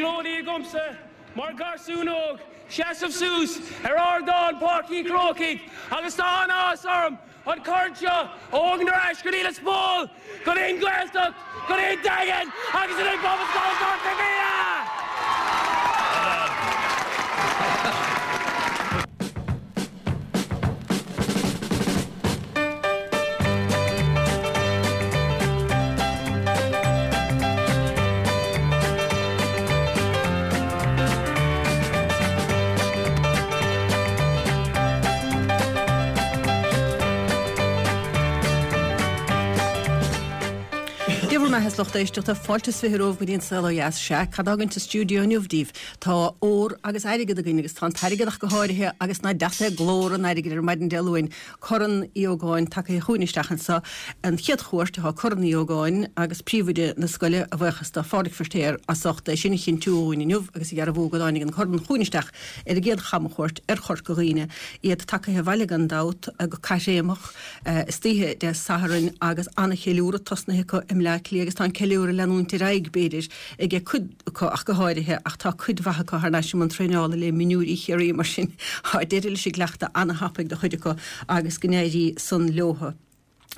éaghlóidí agamsa mar gharsún óg seasamh suas ar ardán Páirc Uí Chrócaigh agus tá an-áthas orm an corn seo a thógaint ar ais go dtí Lios Póil, go dtí an Ghaeltacht, go dtí an Daingean agus go dtí Pobalscoil Chorca Dhuibhne! Dia bhur mbeatha a lucht éisteachta, fáilte is 20 romhaibh go dtí an Saol Ó Dheas. Sea, cad atá againn sa stiúideo inniu daoibh? Tá ór agus airgead againn agus tá an t-airgead ach go háirithe agus nach deas é glór an airgid ar maidin Dé Luain. Corn Uí Ógáin tagaithe chugainn isteach anseo. An chéad chuairt atá Corn Uí Ógáin agus príomhoide na scoile, a bhuíochas do Phádraig Feirtéar as ucht é sin a chinntiú dhúinn inniu agus a dhearbhú go dtáinig an corn chugainn isteach ar an gcéad chamchuairt ar Chorca Dhuibhne. Iad tagaithe abhaile gan dabht go caithréimeach istoíche Dé Sathairn agus an-cheiliúradh tosnaithe acu i mBleá Cliath agus tá an ceiliúradh ag leanúint ar aghaidh, b'fhéidir, ag cuid acu ach go háirithe, ach tá cuid mhaith acu thar n-ais i mbun traenála le mionúirí Chiarraí, mar sin tá deireadh leis an gcleachtadh ana-thapaidh do chuid acu agus go n-éirí san leotha.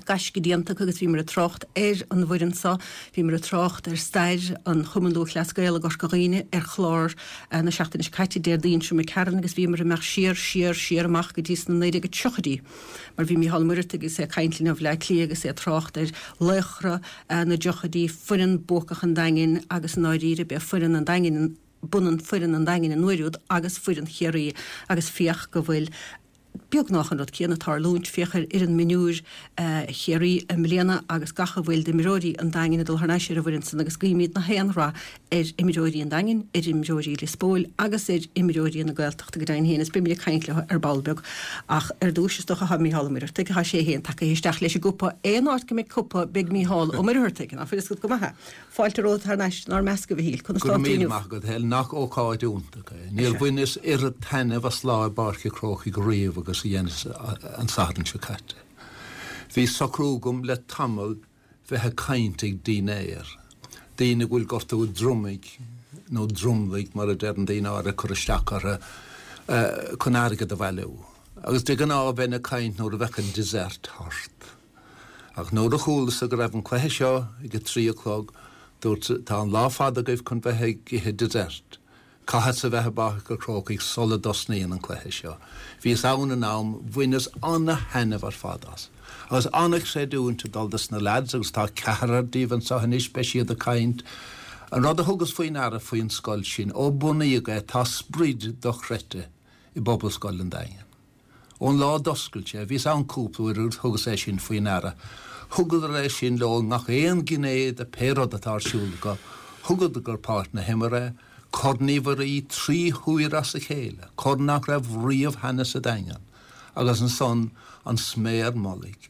Gaisce déanta acu agus bhíomar ag trácht ar an bhfoireann seo, bhíomar ag trácht ar stair an Chumainn Lúthchleas Gael i gCorca Dhuibhne ar chlár na seachtaine seo caite, Déardaoin seo imigh tharainn agus bhíomar ag imeacht siar, siar, siar amach go dtí sna 1930idí mar bhí Mícheál Ó Muircheartaigh agus é ag caint linn ó Bhleá Cliath agus é ag trácht ar laochra na dtríochaidí, foireann buacach an Daingin agus i ndáiríre b'é foireann an Daingin, b'ionann foireann an Daingin an uair úd agus foireann Chiarraí agus féach go bhfuil beagnach an rud céanna ag tarlúint, féach ar fhoireann mionúir Chiarraí i mbliana agus gach a bhfuil d'imreoirí an Daingin ag dul thar n-ais ar an bhfoireann san agus guímid na haon rath ar imreoirí an Daingin, ar imreoirí Lios Póil agus ar imreoirí na Gaeltachta go deimhin féin, is beimid ag caint leo ar ball beag. Ach ar dtúis, is dócha, tá Mícheál Ó Muircheartaigh, tá sé féin tagaithe isteach leis an gcupa, aon áit go mbeidh cupa, beidh Mícheál Ó Muircheartaigh, ná fuil fhios agat go maith é. Fáilte romhat thar n-ais inár measc, a Mhichíl. Conas Go tá raibh tú míle inniu? maith agat, Helen. Nach ócáid iontach é. Níor bhaineas oiread taitneamh as lá i bPáirc an Chrócaigh riamh agus a dheineas an Satharn seo caite. Bhí socrú agam le tamall bheith ag caint ag dinnéar, daoine go bhfuil gortú dromaigh, nó dromlaigh mar a deireann daoine áirithe, curtha isteach orthu chun airgead a bhailiú. Agus de ghnáth bheinn ag caint nuair a bheadh an dessert thart. Ach nuair a chualas-sa go raibh an cluiche seo ag a trí a chlog, dúrt-sa, tá an lá fada agaibh chun bheith ag ithe dessert. Caithfeadsa a bheith i bPáirc an Chrócaigh sula dtosnaíonn an cluiche seo. Bhíos ann in am, bhaineas ana-thaitneamh ar fad as. Agus ana-chreidiúint ag dul dos na lads, agus tá ceathrar díobh anseo anois, beidh siad ag caint. An rud a thugas faoi ndeara faoin scoil sin, ó bunaíodh é, tá sprid dochreidte i bPobalscoil an Daingin. Ón lá a d'oscail sé, bhíos ann cúpla uair agus thugas é sin faoi ndeara. Thugadar é sin leo i ngach aon ghné de pé rud atá ar siúl acu. Thugadar go páirc na himeartha é, Corn Uí Mhuirí trí huaire as a chéile, corn nach raibh riamh cheana sa Daingean, agus ansan an sméar mullaigh,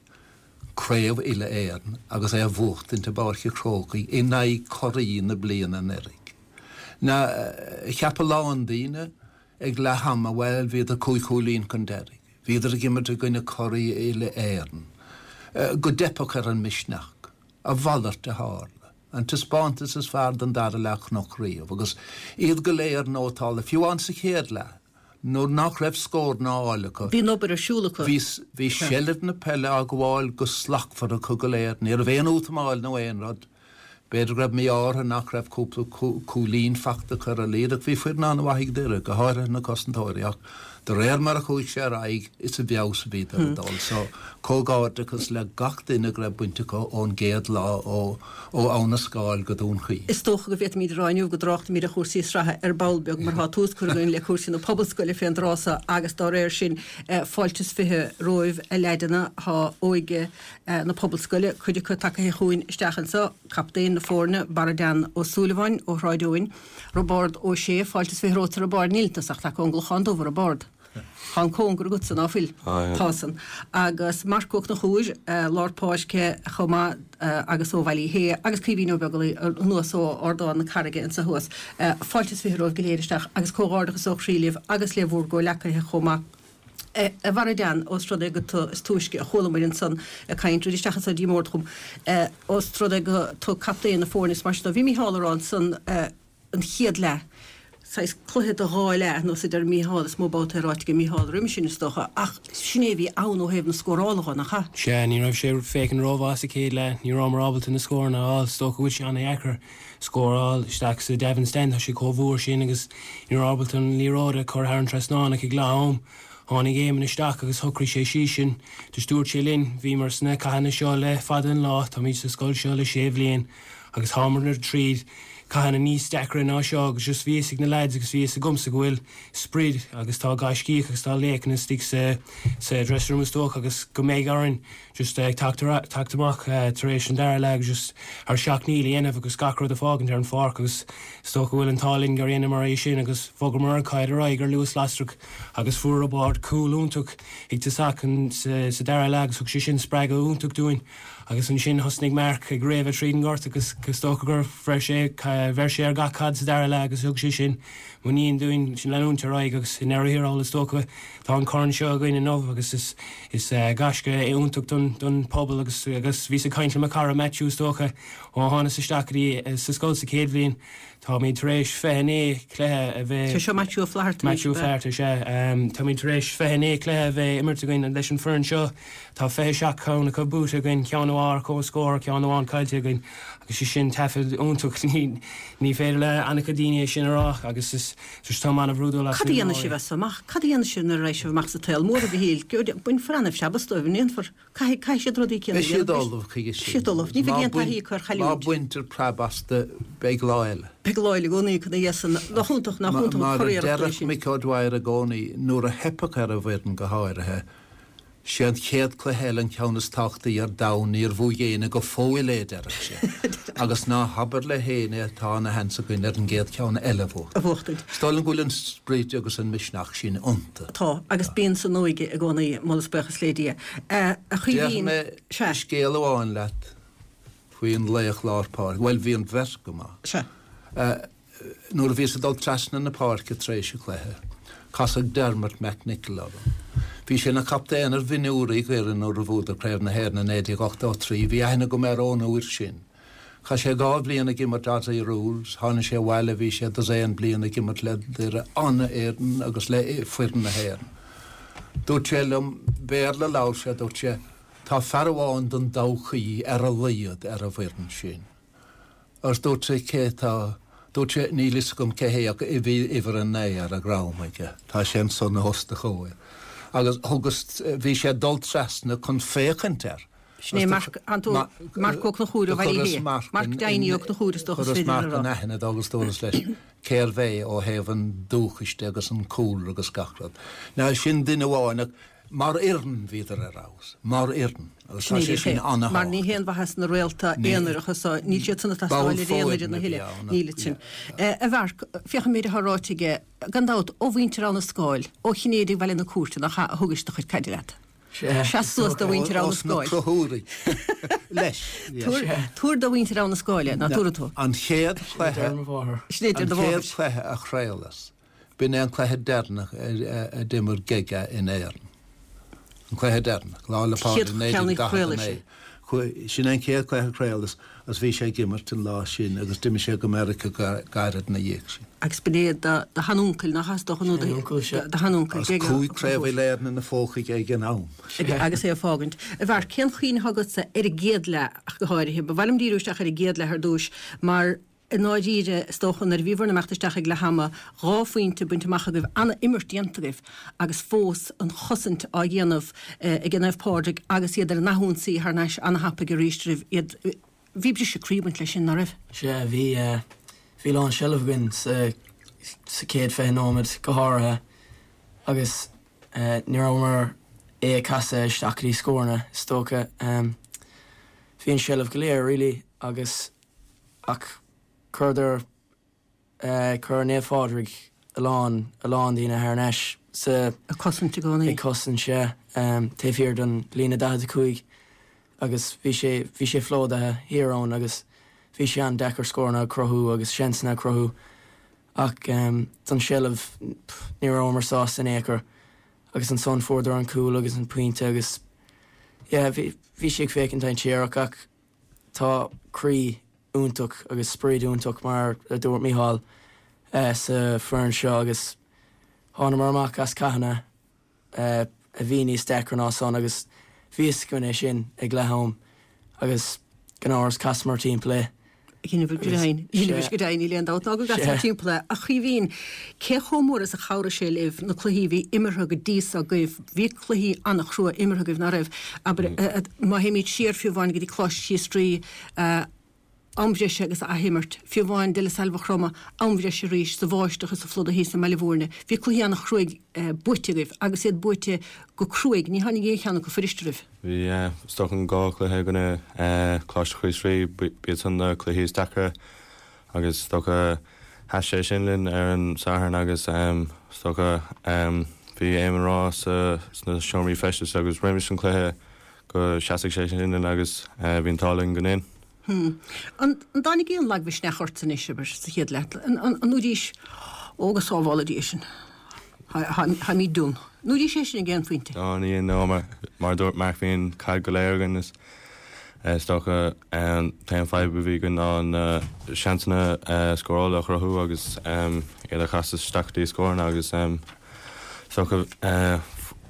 Craobh Uile-Éireann agus é a bhuachtaint i bPáirc an Chrócaigh in aghaidh curaí na bliana anuraidh. Now, cheap a lán daoine, Ag leath ama, bhuel, bhíodar cúig chúilín chun deiridh. Bhíodar ag imirt i gcoinne curaí uile-Éireann. Go dteipfeadh ar an misneach. A mhalairt a tharla. An taispeántas is fearr den dara leath a chonac riamh, agus iad go léir nótálta, fiú amháin sa chéad leath, nuair nach raibh scóranna á fháil acu. Bhí an obair ar siúl acu. Bhí, bhí seilbh na peile á gabháil go slachtmhar acu go léir. Ní raibh aon útamáil nó aon rud. B'fhéidir go raibh mí-ádh orthu nach raibh cúpla cúilín fachta acu ar a laghad ach bhí foireann an-mhaith ag Doire, go háirithe na cosantóirí, ach de réir mar a chuaigh sé ar aghaidh is i bhfeabhas a bhíodar ag dul. So, comhghairdeachas le gach duine go raibh baint acu ón gcéad lá ó Abha na Scáil go Dún Chaoin. Is dócha go bhféadfaimid a rá inniu go dtráchtfaimid ar chúrsaí sraithe ar ball beag mar tá tús curtha againn le cúrsaí na pobalscoile fén dtráth so agus dá réir sin fáilte is 20 romhaibh a leaideanna, tá óige na Pobalscoile, cuid acu tagaithe chugainn isteach anseo, captaen na foirne, Barra Dan Ó Súilleabháin ó Shráid Eoin, Roibeárd Ó Sé, fáilte is 20 romhat a Roibeáird, níl tusa ach tagtha ón gClochán Dubh, a Roibeárd. Tá an cóngar agatsa, ná fuil? Tá san. Agus Marc Ó Conchúir, lár páirce chomh maith agus ó Bhaile Uí Shé agus Caoimhín Ó Beaglaoi anuas ó Ardán na Carraige anseo thuas. Fáilte is 20 romhaibh go léir isteach agus comhghairdeachas ó chroí libh agus le bhúr gcomhleacaithe chomh maith. A Bharra Dan, ós rud é gur tu is túisce a chualamair ansan ag caint, tar isteach anso dtí an mbord chugam, ós rud é gur tu captaen na foirne is mar sin dó, bhí Mícheál a rá ansan. an chéad leath, saghas cluiche de dhá leath, nós a deir Mícheál, is mó babhta é ráite ag Mícheál roimis sin is dócha, ach sin é a bhí ann ó thaobh na scórála dho, nach ea? Sea, ní raibh sé féachaint rómhaith sa chéad leath, ní rabhamar ábalta na scóranna a fháil, is dócha go bhfuil sé an-dheacair scór a fháil isteach sa Davin Stand, tá sé chomh fuar sin agus ní raibh ábalta an liathróid a chur thar an trasnán ach ag leath am tháinig Éamonn isteach agus shocraigh sé síos sinn, just dúirt sé linn, bhíomar sna cathanna seo le fada an lá, táimid sa scoil seo le sé bhliain agus thámar tríd cathanna níos deacra ná seo agus just bhí fhios ag na lads agus bhí fhios agamsa go bhfuil sprid agus tá gaiscíoch agus tá laochanna istigh sa sa dressing room is dócha agus go mbeidh orainn just ag teacht teacht amach tar éis an dara leath agus just ár seacht ndícheall a dhéanamh agus gach rud a fhágaint ar an pháirc agus is dócha go bhfuil an t-ádh linn gur dheineamar é sin agus bhogamar an caid ar aghaidh ar luas lasrach agus fuair Roibeárd cúl iontach ag tosach sa sa dara leath agus thug sé sin spreagadh iontach dúinn. Agus ansin thosnaigh Mark ag réabadh tríd an ngort agus is dócha gur bheir sé, bheir sé ar gach caid sa dara leath agus thug sé sin muinín dúinn leanúint ar aghaidh agus i ndeireadh thiar thall is dócha tá an corn seo againn inniu agus is, is gaisce iontach don, don pobal agus, agus bhíos ag caint le mo chara Matthew is dócha ó thánas isteach go dtí sa scoil sa chéad bhliain Táimid tar éis 29 cluiche a bheith. Sé seo Maitiú Ó Flatharta anois, Maitiú Ó Flatharta, sea. Táimid tar éis 29 cluiche a bheith imirt againn leis an foireann seo. Tá 27 ceann acu buaite againn, ceann amháin ar comhscór, ceann amháin caillte againn agus sé sin taifead iontach. Ní féidir le an-chuid daoine é sin a rá agus is táim an-bhrúdúil as. Cad a dhéanfaidh sibh as so amach? Cad a dhéanfaidh sibh nuair a raghaidh sibh amach sa tsaol mór, a Mhichíl? Bainfear an-phreab as dóibh, an ndéanfar? Caithfidh, caithfidh siad rudaí céanna a Beidh siad ullamh chuige sin. Siad ullamh. Ní bheidh aon taithí acu ar chailliúint. Má bhaintear preab astu, beidh lá eile. Beidh lá eile i gcónaí acu ina dhiaidh san. Nach iontach, nach iontach an Mar a curiarracht é deireadh sin. Mick O'Dwyer i gcónaí, nuair a theipfeadh ar an bhfoireann go háirithe, sé an chéad cluiche eile an ceann is tábhachtaí ar domhan, níor bhuaigh éinne go fóill é, a deireadh sé. Agus ná habair le héinne tá ana sheans againn ar an gcéad cheann eile a bhuachtaint. A bhuachtaint. Is dóigh liom go bhfuil an sprid agus an misneach sin iontu. Tá, agus bíonn san óige i gcónaí, moladh is buíochas le Dia. A Chaoimhín, Déarfaidh mé sea. scéal amháin leat faoin laoch lár páirce. Bhuel, bhí an bheirt go maith. Sea. Nuair a bhíos ag dul trasna na páirce tar éis an chluiche, casadh Dermot McNicholl orm. Bhí sé ina chaptaen ar mhionúirí Dhoire nuair a bhuadar Craobh na hÉireann i 1983. Bhí aithne agam air ón uair sin. Chaith sé 2 bhliain ag imirt Aussie Rules, tháinig sé abhaile, bhí sé dosaen bliain ag imirt le Doire, an-fhoireann agus le foireann na hÉireann. Dúirt sé liom, Béarla a labhair sé, dúirt sé, tá fear amháin don todhchaí ar a laghad ar an bhfoireann sin. Agus dúirt sé, cé tá? Dúirt sé, níl fhios agam cé hé ach bhí uimhir a 9 ar a dhrom aige, tá sé ansan os do chomhair. Agus thugas, bhí sé ag dul trasna chun féachaint air. Sin é Marc, Marc Ó Conchúir ó Bhaile Átha Cliath. Marc Diney Ó Conchúir is dócha is féidir a rá. Chuireas Marc in aithne dó agus dúras leis cérbh é ó thaobh an dúchais de agus an cúlra agus gach rud. Now sin duine amháin ach mar fhoireann bhíodar ar fheabhas. Mar fhoireann. Agus tá sé sin an-thábhachtach. Mar ní haon mhaitheas na réalta aonaracha so, níl siad san ag teastáil ar aon fhoireann a thuilleadh. Níl sin. A Mharc, féach an méid atá ráite aige, gan dabht, ó mhuintir Abha na Scáil, ó Chinnéidigh Bhaile na Cúirte, nach ea, a thugais do chuid caide leat. Seas suas do mhuintir Abha na Scáil. Ós na Conchúraigh leis. Tabhair do mhuintir Abha na Scáil é, ná tabharfaidh tú. An chéad chluiche, an chéad chluiche a chraolas, b'in é an cluiche deireanach a d'imir Gega in Éirinn. An cluiche deireanach, Lá 'le Pádraig 1949. Sin é an chéad chluiche a chraolas agus bhí sé ag imirt an lá sin agus d'imigh sé go Meiriceá gairid ina dhiaidh sin. Agus b'in é do sheanuncail, nach as do nó do sheanuncail, Agus 5 Craobh Uile-Éireann ina phóca aige ag an am. Agus é ag fágaint. A Mharc, cén chuimhne atá agatsa ar an gcéad leath ach go háirithe? Ba mhaith liom díriú isteach ar an gcéad leath ar dtúis mar i ndáiríre, is dócha, nuair a bhí bhur n-imeacht isteach ag leath ama, 2 phointe bainte amach agaibh, an-imirt déanta agaibh agus fós an chosaint á dhéanamh ag Naomh Pádraig agus iad ar an athionsaí thar n-ais an-thapaidh arís roimh iad. Bhí briseadh croí ag baint leis sin, ná raibh? Sea, bhí. Bhí lán seilbh againn sa sa chéad 20 nóiméad go háirithe agus ní rabhamar é a casadh isteach go dtí scóranna, is dócha. Bhí an seilbh go léir, really, agus ach chuireadar, chuir Naomh Phádraig a lán, a lán daoine thar n-ais sa. Ag cosaint i gcónaí. Ag cosaint, sea, taobh thiar den líne 45 agus bhí sé, bhí sé plódaithe thiar ann agus bhí sé an-deacair scóranna a chruthú agus seansanna a chruthú ach don seilbh ní rabhamar sásta in aon chor agus ansan fuaireadar an cúl agus an pointe agus yeah bhí, bhí sé ag féachaint dainséarach ach Tá croí iontach agus sprid iontach mar a dúirt Mícheál. sa foireann seo agus thánamar amach as cathanna a bhí níos deacra ná san agus bhí fhios againn é sin ag leath am agus gan amhras chasamar timpeall é. Dheineabhair go deimhin, dheineabhais go deimhin, níl aon dabht ná go gcasadh timpeall é. A Chaoimhín, cé chomh mór is a chabhraigh sé libh na cluichí a bhí imeartha go dtí so agaibh, bhí cluichí an-chrua imeartha agaibh, ná raibh? Abair, má théimid siar fiú amháin go dtí Coláiste Chríost Rí, am bhreise agus athimirt, fiú amháin De La Salle Mhaigh Chromtha, am bhreise arís, sa bháisteach is sa phluda thíos i mBaile Bhúirne. Bhí cluichí an-chruaidh buaite agaibh agus iad buaite go cruaidh, ní tháinig aon cheann acu fuirist oraibh. Bhí, is dócha an dá chluiche i gcoinne Coláiste Chríost Rí, b'iad san na cluichí is deacra agus is dócha sheas sé sin linn ar an Satharn agus is dócha bhí Éamonn ag rá sna seomraí feistis agus roimis an cluiche go seasfadh sé sin linn agus bhí an t-ádh linn go ndein. An dtáinig aon lagmhisneach ort anois, abair, sa chéad leath? An ndúraís, Ó, go sábhála Dia sinn, táimid done. An ndúraís é sin ag aon phointe? No, ní dhein, no, mar a dúirt Mark, bhí an caid go léir againn is is dócha an t-aon fadhb a bhí againn ná na seansanna scórála a chruthú agus iad a chasadh isteach go dtí scóranna agus is dócha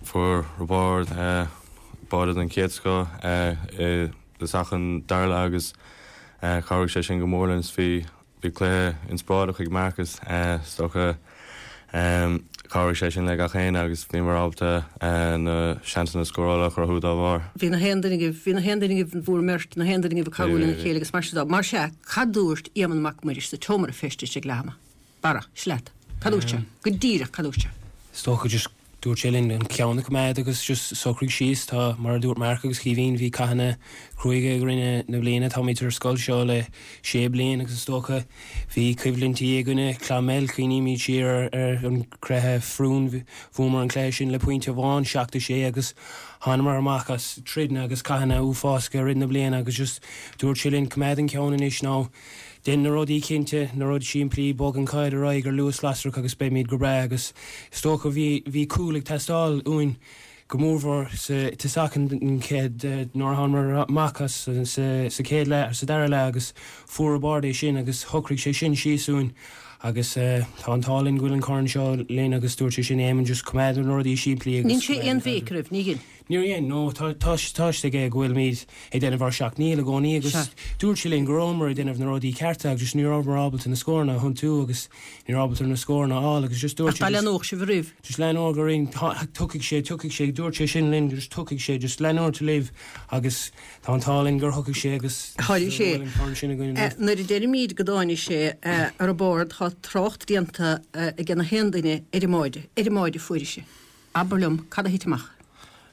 fuair Roibeárd báide den chéad scoth i dtosach an dara leath agus chabhraigh sé sin go mór linn. Bhí bhí cluiche inspioráideach ag Marcus is dócha. Chabhraigh sé sin le gach éinne agus bhíomar ábalta na seansanna scórála a chruthú dá bharr. Bhí na haon duine agaibh, bhí na haon duine agaibh, bhur mbeirt, na haon duine agaibh ag cabhrú lena chéile agus mar sin de. Mar sea, cad dúirt Éamonn Mac Muiris sa tseomra feistis ag leath ama? Barra, seo leat. Cad dúirt sé? Go díreach, cad dúirt sé? Is dócha just Dúirt sé linn an ceann a choimeád agus just socraigh síos. Tá, mar a dúirt Mark agus Caoimhín, bhí cathanna cruaidhe i rith na bliana. Táimid ar an scoil seo le sé bliain agus is dócha bhí coimhlintí i gcoinne Clonmel. Cuimhnímid siar ar an gcluiche foirne, bhuamar an cluiche sin le pointe amháin, 7-6 agus thánamar amach as troideanna agus cathanna uafásacha i rith na bliana agus just dúirt sé linn coimeád an ceann anois nó Déan na rudaí cinnte, na rudaí simplí, bog an chaid ar aghaidh ar luas lasrach agus beimid go breá agus is dócha bhí, bhí cúl ag teastáil uainn go mórmhór sa tosach an chéad, nuair a thánamar amach as sa chéad leath, sa dara leath agus fuair Roibeárd é sin agus shocraigh sé sin síos uainn agus tá an t-ádh linn go bhfuil an corn seo linn agus dúirt sé sin Éamonn just coimeád na rudaí simplí agus Níl sé aon bhéic oraibh, ní dhein. Níor dhein, no, tá tá tá fhios aige go bhfuilimid ag déanamh ár seacht ndícheall i gcónaí agus Sea. dúirt sé linn go rabhamar ag déanamh na rudaí cearta agus just ní rabhamar ábalta na scóranna a thiontú agus ní raibh ábalta na scóranna a fháil agus just dúirt Ach sé dá just leanódh sibh oraibh. just leanóidh orainn, tá tiocfaidh sé, tiocfaidh sé, dúirt sé sin linn just tiocfaidh sé, just leanúint libh agus tá an t-ádh linn gur thiocfaidh sé agus Tháinig sé. go bhfuil an corn sin againn inniu. Nuair a deirimid go dtáinig sé a Roibeárd tá trácht déanta ag na haon duine ar an mbáide, ar an mbáide a fuairis é. Abair liom, cad a thit amach?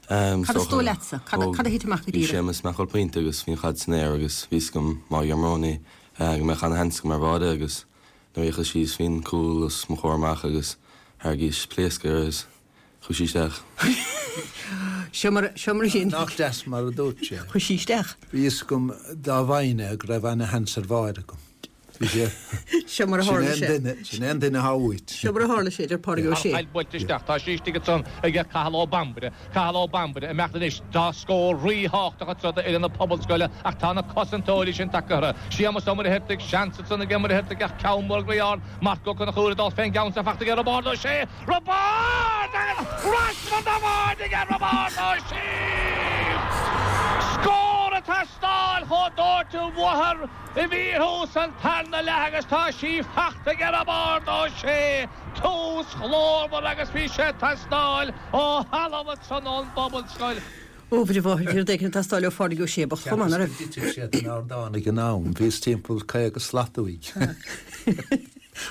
Cad is dóigh leatsa? Cad a thit amach go díreach? Bhí Séamus ag marcáil pointe agus bhí an chaid san aer agus bhí fhios agam má ghearrmar í go mbeadh ana-sheans agam ar bháide agus nuair a fhéachas síos bhí an cúl os mo chomhair amach agus thairgíos pléasc air agus chuaigh sí isteach. Seo mar, seo mar a dhein. Nach deas mar a dúirt sé. Chuaigh sí isteach. Bhí fhios agam dá bhfaighinn é go raibh ana-sheans ar bháide agam. Seo mar a tharla sé. Sin é an duine atá uait. Seo mar a tharla sé, deir Pádraig Ó Sé. An chaid buailte isteach. Tá sí istigh ansan ag Cathal Ó Bambaire. Cathal Ó Bambaire imeacht anois. Tá scór ríthábhachtach anseo d'fhoireann na Pobalscoile ach tá na cosantóirí sin tagtha orthu. Séamus Ó Muircheartaigh, seans ansan ag Ó Muircheartaigh ach ceann mór ard. Marc Ó Conchúir ag dul fén gceann san fachta aige Roibeárd Ó Sé. Roibeárd agus raspa de bháide aige Roibeárd Ó Sé! Scór ag teastáil chomh dóite uathu i bhfíorthús an tarna leath agus tá sí fachta aige Roibeárd Ó Sé! Tús ghlórmhar agus bhí sé ag teastáil ó thalamh ansan ón bPobalscoil. Ó, bhí rud éigin ag teastáil ó Phádraig Ó Sé bocht chomh maith, ná raibh? Cheapas go dtitfeadh sé den ardán ag an am, bhíos timpeall 50 slat uaidh.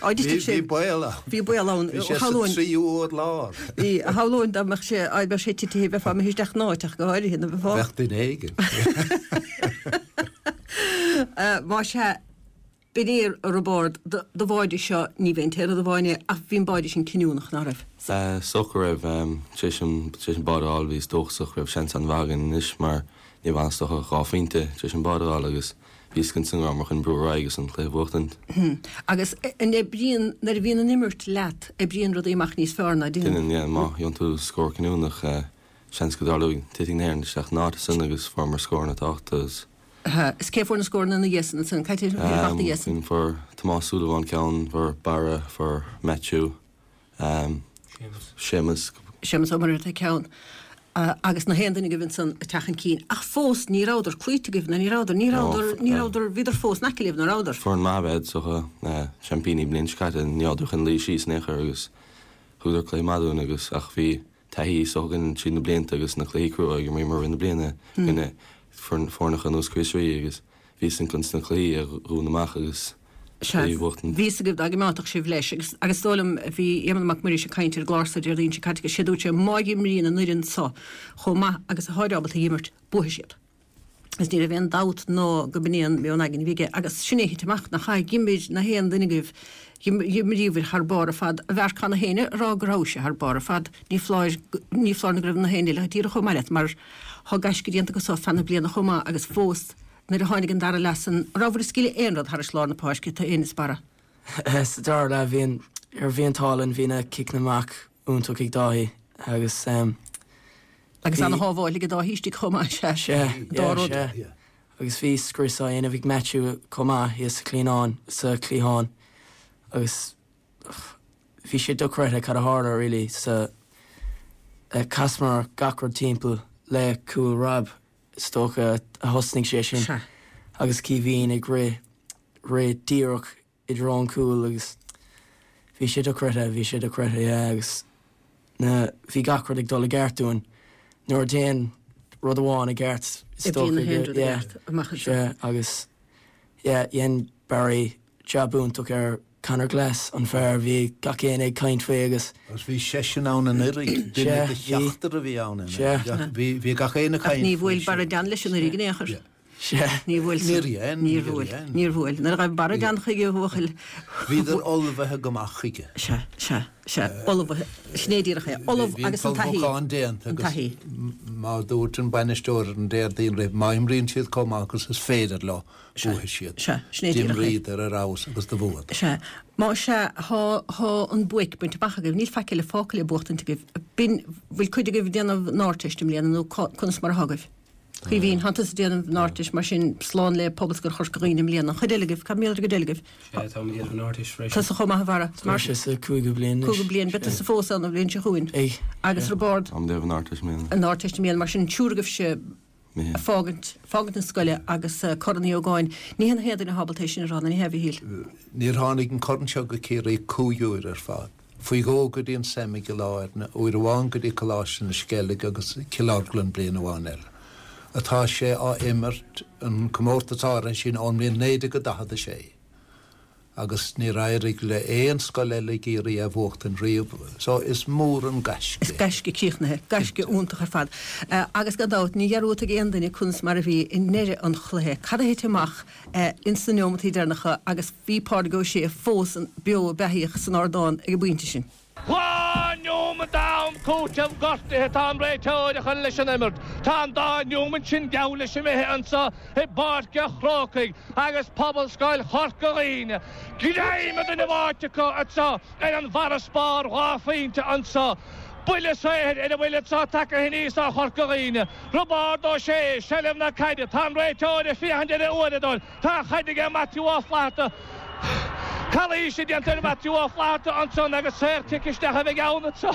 Á, d'istigh sé. Bhí baol ann. Bhí baol ann. Bhí sé sa tríú urlár. Bhí, shamhlóinn dá mbeadh sé, á, bheadh sé titithe, bheifeá imithe isteach in áit ach go háirithe, nó bheifeá. Bheadh duine éigin. Más ea, b'in é a Roibeárd, do bháide seo, ní bheinn an t-aon rud amháin é, ach bhí an báide sin cinniúnach, ná raibh? Is dócha go raibh. Tar éis an, tar éis an báide a fháil bhíos dóchasach go raibh seans an-mhaith againn anois mar ní raibh ann is dócha ach dhá phointe tar éis an báide a fháil agus bhí fhios againn ansan go rabhamar chun brú ar aghaidh agus an cluiche a bhuachtaint. Agus an oibríonn, nuair a bhíonn an imirt leat, oibríonn rudaí amach níos fearr ná deineann? Deineann, yeah. Má gheobhann tú scór cinniúnach, seans go dtarlóidh, titfidh na hÉireann isteach in áit ansan agus fuaireamar scóranna tábhachtacha agus. Is cé a fuair na scóranna ina dhiaidh san ansan? Cad é a bhí ina dhiaidh san? Fuair Tomás Súilleabháin ceann, fuair Barra, fuair Maitiú, Séamus. Séamus Ó Muircheartaigh ceann. Agus na haon duine agaibh ansan ag teacht chun cinn. Ach fós ní rabhadar cloíte agaibh, nó ní rabhadar, ní rabhadar, ní rabhadar, bhíodar fós in aice libh, ná rabhadar? Foireann maith ab ea iad, is dócha, seaimpíní bliain seo caite, ní rabhadar chun luí síos in aon chor agus thugadar cluiche maith dúinn agus ach bhí taithí is dócha againn tríd na blianta agus na cluichí crua a d'imríomar i rith na bliana i gcoinne foirneacha ar nós Chríost Rí agus bhí a fhios againn sna cluichí a dhúnadh amach agus Sea, a bhuachtaint. bhí fhios agaibh dá gcoimeádfadh sibh leis agus agus is dóigh liom, bhí Éamonn Mac Muiris ag caint ar an gclár so Déardaoin seo caite agus sé dúirt sé má dh'imríonn an fhoireann so chomh maith agus atáid ábalta a dh'imirt, buafaidh siad. Agus ní raibh aon dabht ná go b'in é an meon aigne a bhí aige. Agus sin é a thit amach, nach ea? Dh'imir na haon duine agaibh, dh'imríobhair thar barr ar fad. A Mharc, tá na héinne a rá go rabhais thar barr ar fad. Ní foláir, ní foláir nó go raibh na héinne eile díreach chomh maith leat, mar thá gaisce déanta agat so feadh na bliana chomh maith agus fós nuair a tháinig an dara leath san, an rabhabhair ag scaoileadh aon rud thairis lár na páirce, tú fhéin is Barra? Sa dara leath, bhí an, bhí an t-ádh linn, bhí na ciceanna amach iontach ag Dáithí agus. Agus ana-shábháil ag Dáithí istigh chomh maith, sea. Sea, Dá yeah, rud. sea. Agus bhí scrios á dhéanamh ag Maitiú chomh maith thíos sa chliathnán, sa chliathán agus bhí sé dochreidte cad a tharla really sa, chasamar gach rud timpeall le cúl Rob is dócha a thosnaigh sé sin Sea. agus Caoimhín ag rith, rith díreach i dtreo an chúil agus bhí sé dochreidte, bhí sé dochreidte, yeah agus na, bhí gach rud ag dul i gceart dúinn. Nuair a théann rud amháin i gceart is Oibríonn dócha na haon go, rud i yeah, gceart amach anseo. sea agus yeah dhein Barry jab iontach ar Conor Glass, an fear a bhí gach éinne ag caint faoi agus. Agus bhí seisean ann anuraidh, duine Sea, de bhí, sheachtar a bhí ann sea. anuraidh. Bhí, bhí gach éinne ag Ach caint ní faoi bhuail sin. Barra Dunne leis anuraidh in aon chor. Yeah. Sea. Níor bhuail san. Níor dhein, Níor níor bhuail. dhein. Níor bhuail. Nuair a ghaibh Barra Dunne chuige a bhuachaill. Bhíodar ullmhaithe go maith chuige. Sea, sea, sea. Ullmhaithe. Sin é díreach é. Ullamh Bhí an agus an taithí. t-ullmhúchán déanta An agus taithí. mar dúirt an bainisteoir ar an Déardaoin roimh, má imríonn siad chomh maith agus is féidir leo, buafaidh siad. Sea, sin é díreach é. D'imríodar ar fheabhas agus do bhuadar. Sea. Má sea, thá, thá an buaic bainte amach agaibh. Níl faic eile fágtha le buachtaint agaibh. B'in, bhfuil cuid agaibh ag déanamh an Ardteist i mbliana nó cá, conas mar athá agaibh? Caoimhín, Thánn tusa ag déanamh an Ardteist, mar sin slán le Pobalscoil Chorca Dhuibhne i mbliana. An chuid eile agaibh, cad mar gheall ar an gcuid eile agaibh? Sea, táim ag déanamh an Ardteist freisin. Tusa chomh maith, a Bharra. Tá mise sa cúigiú bliain anois. Cúigiú bliain, beidh tusa fós ann an bhliain seo chugainn. Beidh. Agus Roibeárd? Táim ag déanamh an Ardteist i mbliana. An Ardteist i mbliana, mar sin an triúr agaibhse ag fágaint, fágaint na scoile agus Corn Uí Ógáin. Ní hé na haon duine atá ábalta é sin a rá, nó ní hea, a Mhichíl? Níor tháinig an corn seo go Ciarraí cúig uair ar fad. Faoi dhó go dtí an Sem i gCill Airne, uair amháin go dtí Coláiste na Sceilge agus Cill Orglan bliain amháin eile. Atá sé á imirt, an comórtas áirithe sin, ón mbliain 1946 agus níor éirigh le aon scoil eile i gCiarraí é a bhuachtaint riamh so is mór an gaisce Is é. gaisce críochnaithe, gaisce iontach ar fad. Agus gan dabht, ní dhearúdfaidh aon duine conas mar a bhí i ndeireadh an chluiche. Cad a thit amach ins na neomataí deireanacha agus bhí Pádraig Ó Sé fós beo beathaíoch san ardán ag an bpointe sin. 2 neomat d'am cúitimh gortaithe atá an réiteoir a chur leis an imirt. Tá an dá neomat sin geall leis imithe anso i bPáirc a' Chrócaigh agus Pobalscoil Chorca Dhuibhne greim an duine bháite acu anso ar an bhfarasbarr 2 phointe anso. Buille saothair ar a bhfuil anso tagtha aníos ó Chorca Dhuibhne. Roibeárd Ó Sé, seilbh na caide. Tá an réiteoir ag féachaint ar a uaireadóir. Tá an chaid aige Maitiú Ó Flatharta. Calaois déanta ar Mhaitiú Ó Flatharta ansan agus saor-chic isteach a bheidh ann anso.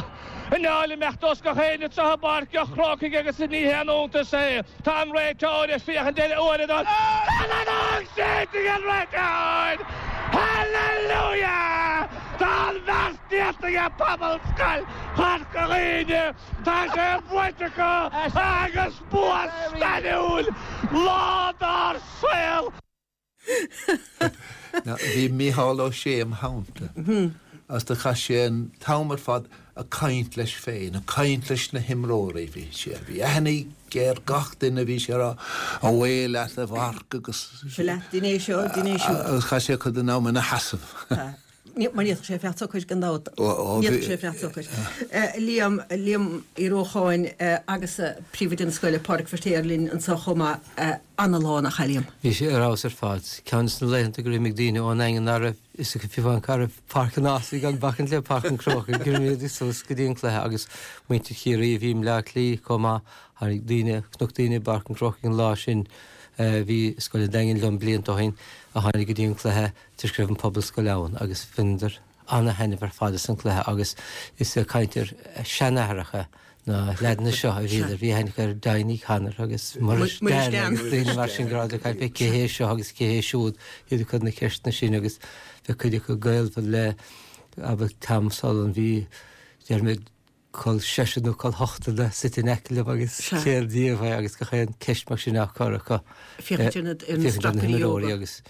I ndáil imeacht os gach éinne anso i bPáirc a' Chrócaigh agus ní haon iontas é. Tá an réiteoir ag féachaint ar a uaireadóir. Tá an fheadóg séidte ag an réiteoir! Hallelujah! Tá an bheart déanta ag Pobalscoil Chorca Dhuibhne! Tá sé buaite acu agus bua stairiúil! Lá dár saol! Bhí Mícheál Ó Sé im theannta agus do chaith sé an t-am ar fad ag caint leis féin, ag caint leis na himreoirí. Bhí sé, bhí aithne aige ar gach duine, bhí sé ag rá, 'Away leat a Mharc' agus. Seo leat, dein é seo, dein é siúd. Agus chaith sé cuid den am ina sheasamh. Mar ní fhéadfadh sé fanacht socair gan dabht. Ní fhéadfadh sé fanacht socair. Liam, Liam Uí Rócháin agus príomhoide na scoile, Pádraig Feirtéar linn anseo chomh maith. Ana-lá nach ea, Liam? Bhí sé ar fheabhas ar fad. Ceann de na laethanta gur imigh daoine ón nDaingean nach raibh fhios acu fiú amháin cá raibh Páirc an Ághasaigh gan bacaint le Páirc an Chrócaigh gur imigh suas go dtí an cluiche agus muintir Chiarraí a bhí i mBleá Cliath chomh maith. Tháinig daoine, chonac daoine i bPáirc an Chrócaigh an lá sin. Bhí Scoil an Daingin liom blianta ó shin a tháinig go dtí an cluiche toisc go raibh an Phobalscoil ann agus bhaineadar ana-thaitneamh ar fad as an cluiche agus is ag caint ar seanathracha na leaideanna seo a bhíodar. Bhí aithne acu ar Donie Connor agus Muiris Dan agus daoine mar sin go rabhadar ag caint fé cé hé seo agus cé hé siúd, iad ag cur na ceisteanna sin agus bheadh cuid acu gaolmhar le, abair, Tom Sullivan, bhí, déarfaidh mé, col seisear nó col ochtar de suite in aice liom agus céard díobh é agus gach aon ceist mar sin á cur acu. Féachaint ar na féachaint ar na himreoirí agus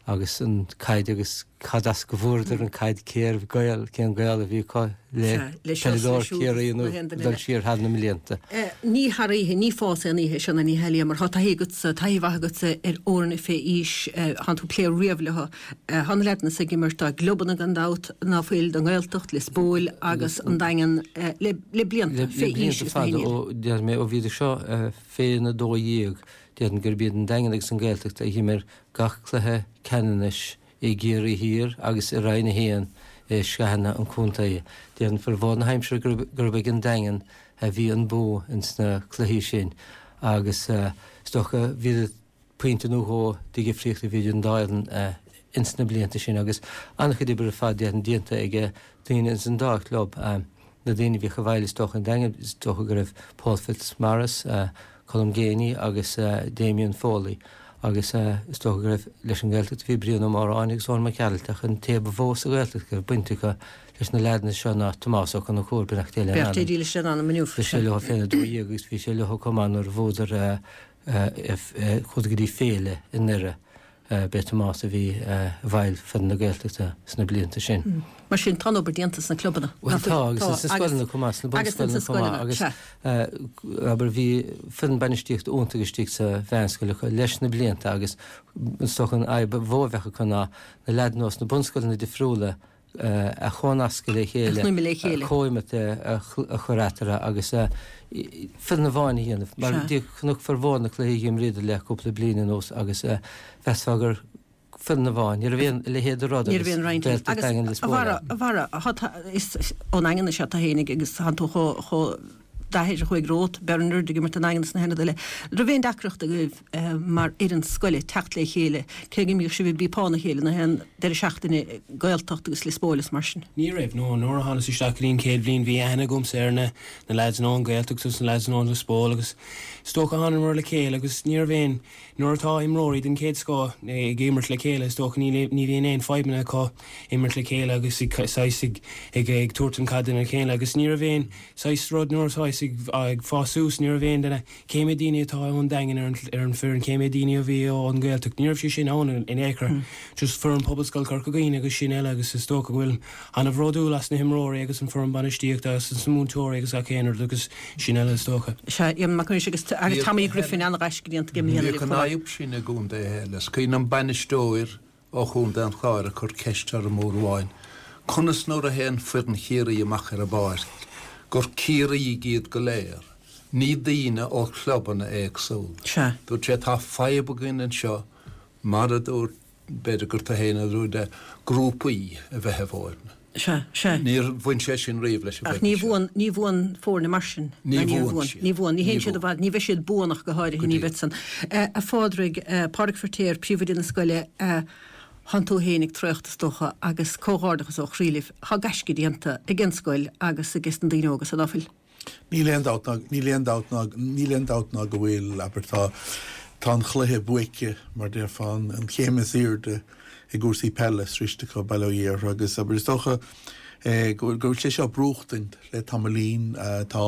agus an caid agus cad as go bhfuaireadar an caid cérbh gaol, cén gaol a bhí acu le peileadóir Chiarraí nó dul siar thar na mblianta. Ní thar oíche, ní fás aon oíche seo ná ní hea mar tá taithí agatsa, taithí mhaith agatsa ar fhoirne fé aois, thánn tú ag plé riamh leo. Tá na leaideanna so ag imirt dá gclubanna gan dabht, ná fuil, don nGaeltacht, Lios Póil agus an Daingean le blianta, fé aois is na Le blianta fada ó, déarfaidh mé, ó bhíodar seo féna 12, déarfainn gurb iad an Daingean agus an Ghaeltacht a d'imir gach cluiche ceannanais i gCiarraí Thiar agus i Roinn 1 i sraitheanna an chontae. Déarfainn formhór na haimsire gurb ag an Daingean a bhí an bua ins na cluichí sin agus is dócha bhíodar pointe nó dhó de dhifríocht a bhí idir an dá fhoireann ins na blianta sin agus an-chuid oibre ar fad déarfainn déanta ag daoine ins an dá chlub. Na daoine a bhíodh i bhfeighil is dócha an Daingean is dócha go raibh Paul Fitzmaurice, Colm Geaney agus Damien Foley agus is dócha go raibh leis an nGaeltacht bhí Brian Ó Móráin agus Eoin Mac Gearailt ach an té ba mhó sa Ghaeltacht go raibh baint acu leis na leaideanna seo ná Tomás Ó Conchúir, beannacht Dé lena anam. Beannacht Dé dílis lena anam inniu. Bhí sé leo féna 12 agus bhí sé leo chomh maith nuair a bhuadar Chuadar go dtí féile i nDoire. B'é Tomás a bhí i bhfeighil foireann na Gaeltachta sna blianta sin. Mar sin, tá an obair déanta sna clubanna. Bhuel tá, agus sna scoileanna chomh maith, sna bunscoileanna chomh maith. Agus abair, bhí foireann bainistíochta iontach istigh sa mheánscoil acu leis na blianta agus is dócha an fhadhb ba mhó a bheadh acu ná na leaideanna ós na bunscoileanna difriúla a chónascadh le chéile, comhimirt a chur eatarthu agus foireann amháin a dhéanamh. Mar chonac formhór na cluichí a dh'imríodar le cúpla bliain anuas agus mheasfá gur foireann amháin, ní raibh aon a leithéid de rud agus Gaeltacht Daingean Lios Póil ann. A Bharra, is ón nDaingean is ea tú fhéinig agus tánn tú chomh d'athair a chuaigh romhat, Bernard, ag imirt don Daingean is na haon rud eile. Raibh aon deacracht agaibh mar fhoireann scoile teacht le chéile, cé go mbíodh sibh ag bípeán a chéile na haon deireadh seachtaine, Gaeltacht agus Lios Póil is mar sin? Ní raibh, no. Nuair a thánas isteach go dtí an chéad bhliain bhí aithne agamsa ar na na lads ón Ghaeltacht agus na lads ón Lios Póil agus is dócha thánamar le chéile agus ní raibh aon, nuair atá imreoirí den chéad scoth ag imirt le chéile is dócha ní ní bhíonn aon fadhbanna acu imirt le chéile agus ag saghas ag ag ag tabhairt an caid dona chéile agus ní raibh aon saghas rud nuair atá ag ag fás suas ní raibh aon duine Cé mhéad daoine atá ón Daingean ar an ar an foireann, cé mhéad daoine a bhí ón Ghaeltacht? Ní raibh sé sin ann in aon chor. Just foireann Pobalscoil Chorca Dhuibhne agus sin eile agus is dócha go bhfuilim ana-bhródúil as na himreoirí agus an foireann bainistíochta agus as na múinteoirí agus gach aon rud agus sin eile is dócha. Sea, Éamonn Mac Niallais agus agus Tommy Griffin an-ghaisce déanta aige i mbliana Bhíodh an fhadhb sin i gcontaetha eile. Is cuimhin liom bainisteoir ó Chontae an Chláir ag cur ceist orm uair amháin, conas nuair a théann foireann Chiarraí amach ar an bpáirc, gur Ciarraígh iad go léir, ní daoine ó chlubanna éagsúla. Sea. Dúirt sé, tá fadhb againn anseo, mar a dúirt, b'fhéidir gur tú féin a dúirt é, grúpaí a bheith i bhfoirne. Sea, sea. Níor bhain sé sin riamh leis an Ach ní bhuann, ní bhuann foirne mar sin. Ní bhuann siad. Ní bhuann. Ní théann siad i bhfad, ní bheidh siad buan ach go háirithe, ní bheidh san. A Phádraig, Pádraig Feirtéar, príomhoide na scoile, thánn tú féin ag traochta is dócha agus comhghairdeachas ó chroí libh. Tá gaisce déanta ag an scoil agus ages na daoine óga san, ná fuil? Níl aon dabht ná, níl aon dabht ná, níl aon dabht ná go bhfuil, abair, tá, tá an chluiche buaite, mar déarfá, an chéim is airde i gcúrsaí peile sroichte acu, bail ó Dhia orthu, agus, abair, is dócha go bhfuil, go bhfuil sé seo brúchtaint le tamaillín. Tá,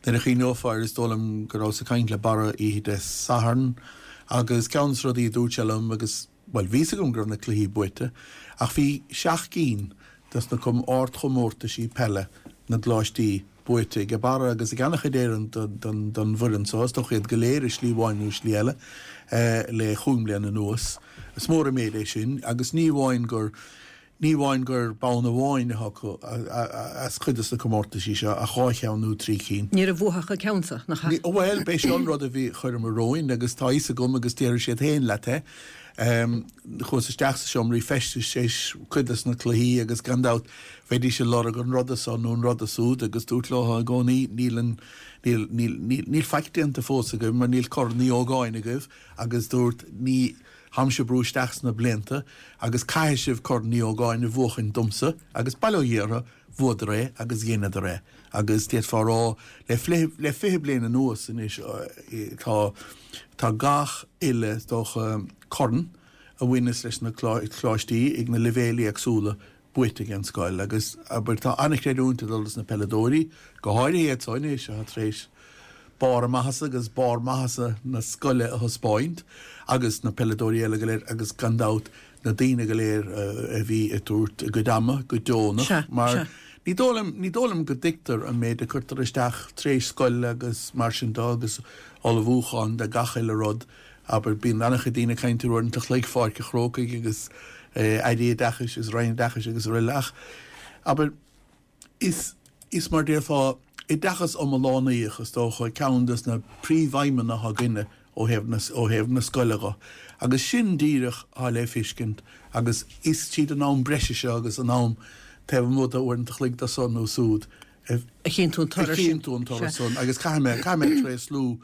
nuair a chuimhneofá air, is dóigh liom go rabhas ag caint le Barra oíche Dé Sathairn agus ceann de na rudaí a dúirt sé liom agus, bhuel, bhí fhios agam go raibh na cluichí buaite, ach bhí seacht gcinn dos na ardchomórtaisí peile na gcoláistí buaite ag Barra agus ag an-chuid éirim don bhfoireann so, is dócha iad go léir i slí amháin nó i slí eile le chúig mbliana anuas. Is mór an méid é sin agus ní amháin gur ní amháin gur bonn amháin atá acu as cuid dos na comórtaisí seo ach dhá cheann nó trí cinn. Ní raibh uathu ach an ceann so, nach ea? Bhuel, b'é seo an rud a bhí chuireamar romhainn agus tá fhios agam agus déarfaidh siad féin leat é. Chuas isteach sa seomraí feistis tar éis cuid des na cluichí agus gan dabht bheidís ag lorg an ruda so nó an ruda súd agus dúrt leo i gcónaí níl an, níl, níl, níl, níl faic déanta fós agaibh mar níl Corn Uí Ógáin agaibh agus dúrt ní, táimse ag brú isteach sna blianta agus caithfidh sibh Corn Uí Ógáin a bhuachaint domsa agus bail ó Dhia orthu, bhuadar é agus dheineadar é agus d'fhéadfá a rá le le 20 bliain anuas anois tá tá gach uile is dócha corn a bhaineas leis na coláistí ag na leibhéil éagsúla buaite ag an scoil agus abair tá an-chreidiúint ag dul dos na peileadóirí, go háirithe iad so anois atá tar éis barr a maitheasa agus barr maitheasa na scoile a thaispeáint agus na peileadóirí eile go léir agus gan dabht na daoine go léir a bhí ag tabhairt a gcuid ama go deonach mar ní dóigh liom, ní dóigh liom go dtuigtear an méid a cuirtear isteach tar éis scoile agus mar sin de agus ullmhúchán de gach uile rud. Abair, bíonn an-chuid daoine ag caint ar uaireanta a chloig Pháirc an Chrócaigh agus Airí Oideachais agus Roinn Oideachais agus araile ach, abair, Is, is mar déarfá, oideachas iomlánaíoch is dócha ceann des na príomhaidhmeanna atá againne ó thaobh na, ó thaobh na scoile dho. Agus sin díreach atá le feiscint agus is tríd an am breise seo agus an am taobh amuigh de uaireanta a chloig de so nó súd a a chinntiú an toradh sin. A chinntiú an toradh san agus caithfidh mé, caithfidh mé tréaslú,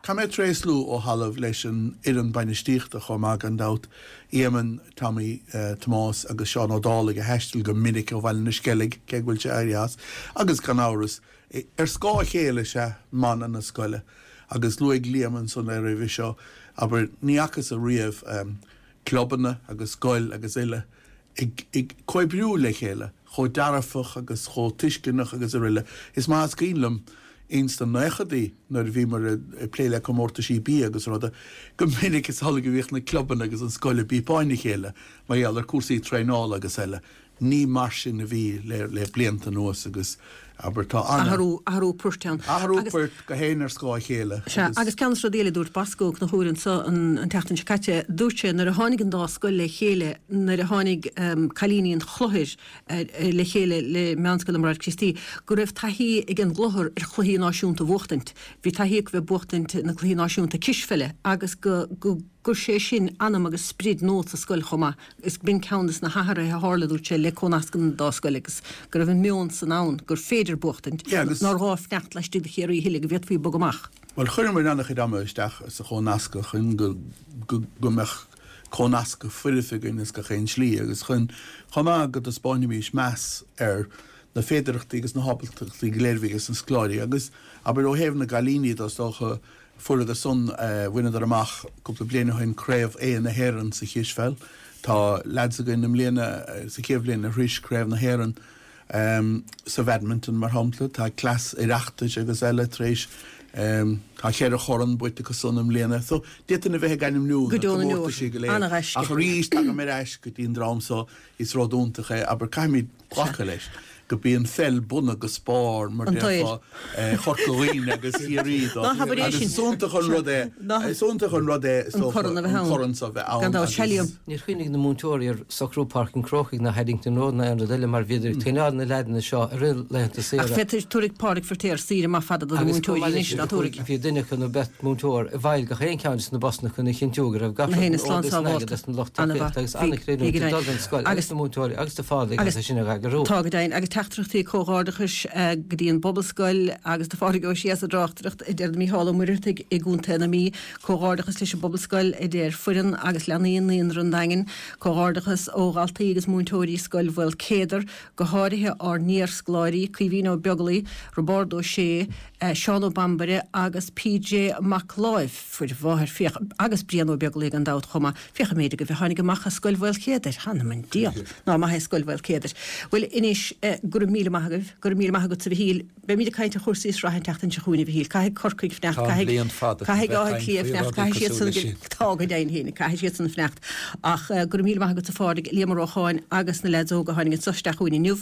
Caithfidh mé tréaslú ó thalamh leis an fhoireann bainistíochta chomh maith gan dabht, Éamonn, Tommy, Tomás agus Seán Ó Dálaigh a thaistil go minic ó Bhaile na Sceilg, cé go bhfuil sé éirithe as, agus gan amhras, ar scáth a chéile is ea mana na scoile. Agus luaigh Liam ansan é roimhe seo, abair, ní fhacthas ariamh clubanna agus scoil agus uile ag comhoibriú le chéile chomh dearfach agus chomh tuisceanach agus aroile. Is maith is cuimhin liom ins na naochadaí nuair a bhíomar ag plé le comórtaisí bia agus ruda, go minic is amhlaidh a bhíodh na clubanna agus an scoil ag bípeáin a chéile mar gheall ar cúrsaí traenála agus eile. Ní mar sin a bhí le blianta anuas agus, abair, tá an. Athrú, athrú poirt ann. Athrú poirt, gach éinne ar scáth a chéile agus. Sea, agus ceann de na rudaí eile a dúirt Bosco Ó Conchúir anso an tseachtain seo caite, dúirt sé nuair a tháinig an dá scoil le chéile, nuair a tháinig cailíní an Chlochair le chéile le Meánscoil na mBráithre Críostaí, go raibh taithí ag an gClochar ar chluichí náisiúnta a bhuachtaint. Bhí taithí acu bheith ag buachtaint na cluichí náisiúnta cispheile agus go, go gcuir sé sin anam agus sprid nua sa scoil chomh maith. Is b'in ceann de na hathruithe a tharla, dúirt sé, le cónascadh an dá scoil agus go raibh an meon san ann gur féidir buachtaint, nár ghá fanacht laistigh de Chiarraí a thuilleadh, go bhféadfaí bogadh amach. Bhuel, chuireamar an-chuid ama isteach sa chónascadh chun go go mbeadh cónascadh foirfe againn as gach aon slí agus chun chomh maith go dtaispeánfaimis meas ar na féidearthachtaí agus na hábaltachtaí go léir a bhí ages na scoláirí agus, abair, ó thaobh na gcailíní de, is dócha, Fuaireadar san, bhaineadar amach cúpla bliain ó shin Craobh A na hÉireann sa chispheil. Tá leaids againn i mbliana, sa chéad bhliain arís, Craobh na hÉireann sa bhadminton mar shampla. Tá cleas Oireachtais agus eile tar éis, tá cheithre chorn buaite acu san i mbliana. So, d'fhéadfainn a bheith ag ainmniú na comórtaisí go léir. Ach arís, tagaim ar ais go dtí an dream so, is rud iontach é, abair, caithfimid glacadh leis go b'í an pheil bunadh agus barr, mar déarfá, Chorca Dhuibhne agus Chiarraí dó. Agus is iontach an rud é, is iontach an rud é, is dócha, an corn so a bheith ann agus. Níor chuimhnigh na múinteoirí ar socrú Páirc an Chrócaigh ná Haddington Road ná aon rud eile mar bhíodar ag traenáil na leaideanna seo i rith laethanta saoire. Ach féadfaidh, tabharfaidh Pádraig Feiritéar saoire maith fada do na múinteoirí anois, ná tabharfaidh? Bhí duine acu nó beirt mhúinteoir i bhfeighil gach aon cheann de na busanna chun a chinntiú go raibh gach rud in ord is in airgead as an lucht tacaíochta agus an-chreidiúint ag dul don scoil agus do na múinteoirí agus do Phádraig as é sin a eagrú. Tá go deimhin. Agus teachtaireachtaí comhghairdeachais go dtí an bPobalscoil agus do Phádraig Ó Sé as an dtráchtaireacht, a deir Mícheál Ó Muircheartaigh i gContae na Mí. Comhghairdeachas leis an bPobalscoil, a deir foireann agus leanaí Naíonra an Daingin. Comhghairdeachas ó dhaltaí agus múinteoirí Scoil Mhaolcéadair, go háirithe ár n-iarscoláirí, Caoimhín Ó Beaglaoi, Roibeárd Ó Sé, Seán Ó Bambaire agus PJ Mac Láimh, fuair a mháthair, féach, agus Brian Ó Beaglaoi gan dabht chomh maith, féach an méid agaibh a tháinig amach as Scoil Mhaolchéadair, th'anam 'on diabhal, ná maith é Scoil Mhaolcéadair. Bhuel, anois, go raibh míle maith agaibh, go raibh míle maith agatsa a Mhichíl, beimid ag caint ar chúrsaí sraithe an tseachtain seo chugainn a Mhichíl, caithfidh Corcaigh fanacht, Tá an bhliain fada chun caithfidh bheith Áth caint Cliath faoi fanacht, rudaí caithfidh cosúil siadsan, leis sin. tá go deimhin féin, caithfidh siadsan fanacht. Ach go raibh míle maith agatsa a Phádraig, Liam Ó Rócháin agus na leaids óga a tháinig anso isteach chugainn inniu.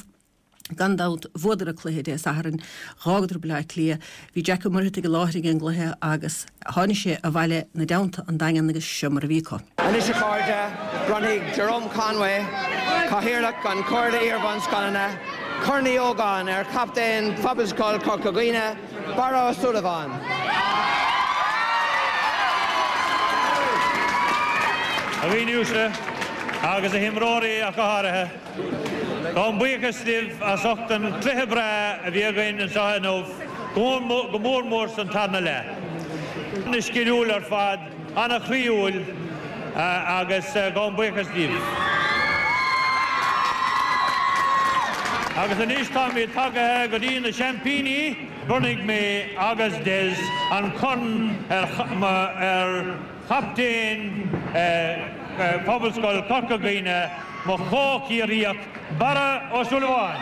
Gan dabht, bhuadar an cluiche Dé Sathairn, dh'fhágadar Baile Átha Cliath. Bhí Jack Ó Muircheartaigh i láthair ag an gcluiche agus tháinig sé abhaile 'na dteannta 'on Daingean agus seo mar a bhí acu. Anois a chairde, bronnfaidh Jerome Conway, Cathaoirleach an Chomhairle Iarbhunscoileanna, Corn Uí Ógáin ar chaptaen Phobalscoil Chorca Dhuibhne, Barra Ó Súilleabháin. A dhaoine uaisle, agus a himreoirí ach go háirithe, gabhaim buíochas libh as ucht an cluiche breá a bhí againn anseo inniu, go mór mór san tarna leath. Ana-sciliúil ar fad, ana-chroíúil agus gabhaim buíochas libh. Agus anois táimid tagaithe go dtí na seaimpíní. Bronnfaidh mé agus Des an corn ar chaptaen Phobalscoil Chorca Dhuibhne, mo chomh-Chiarraíoch, Barra Ó Súilleabháin.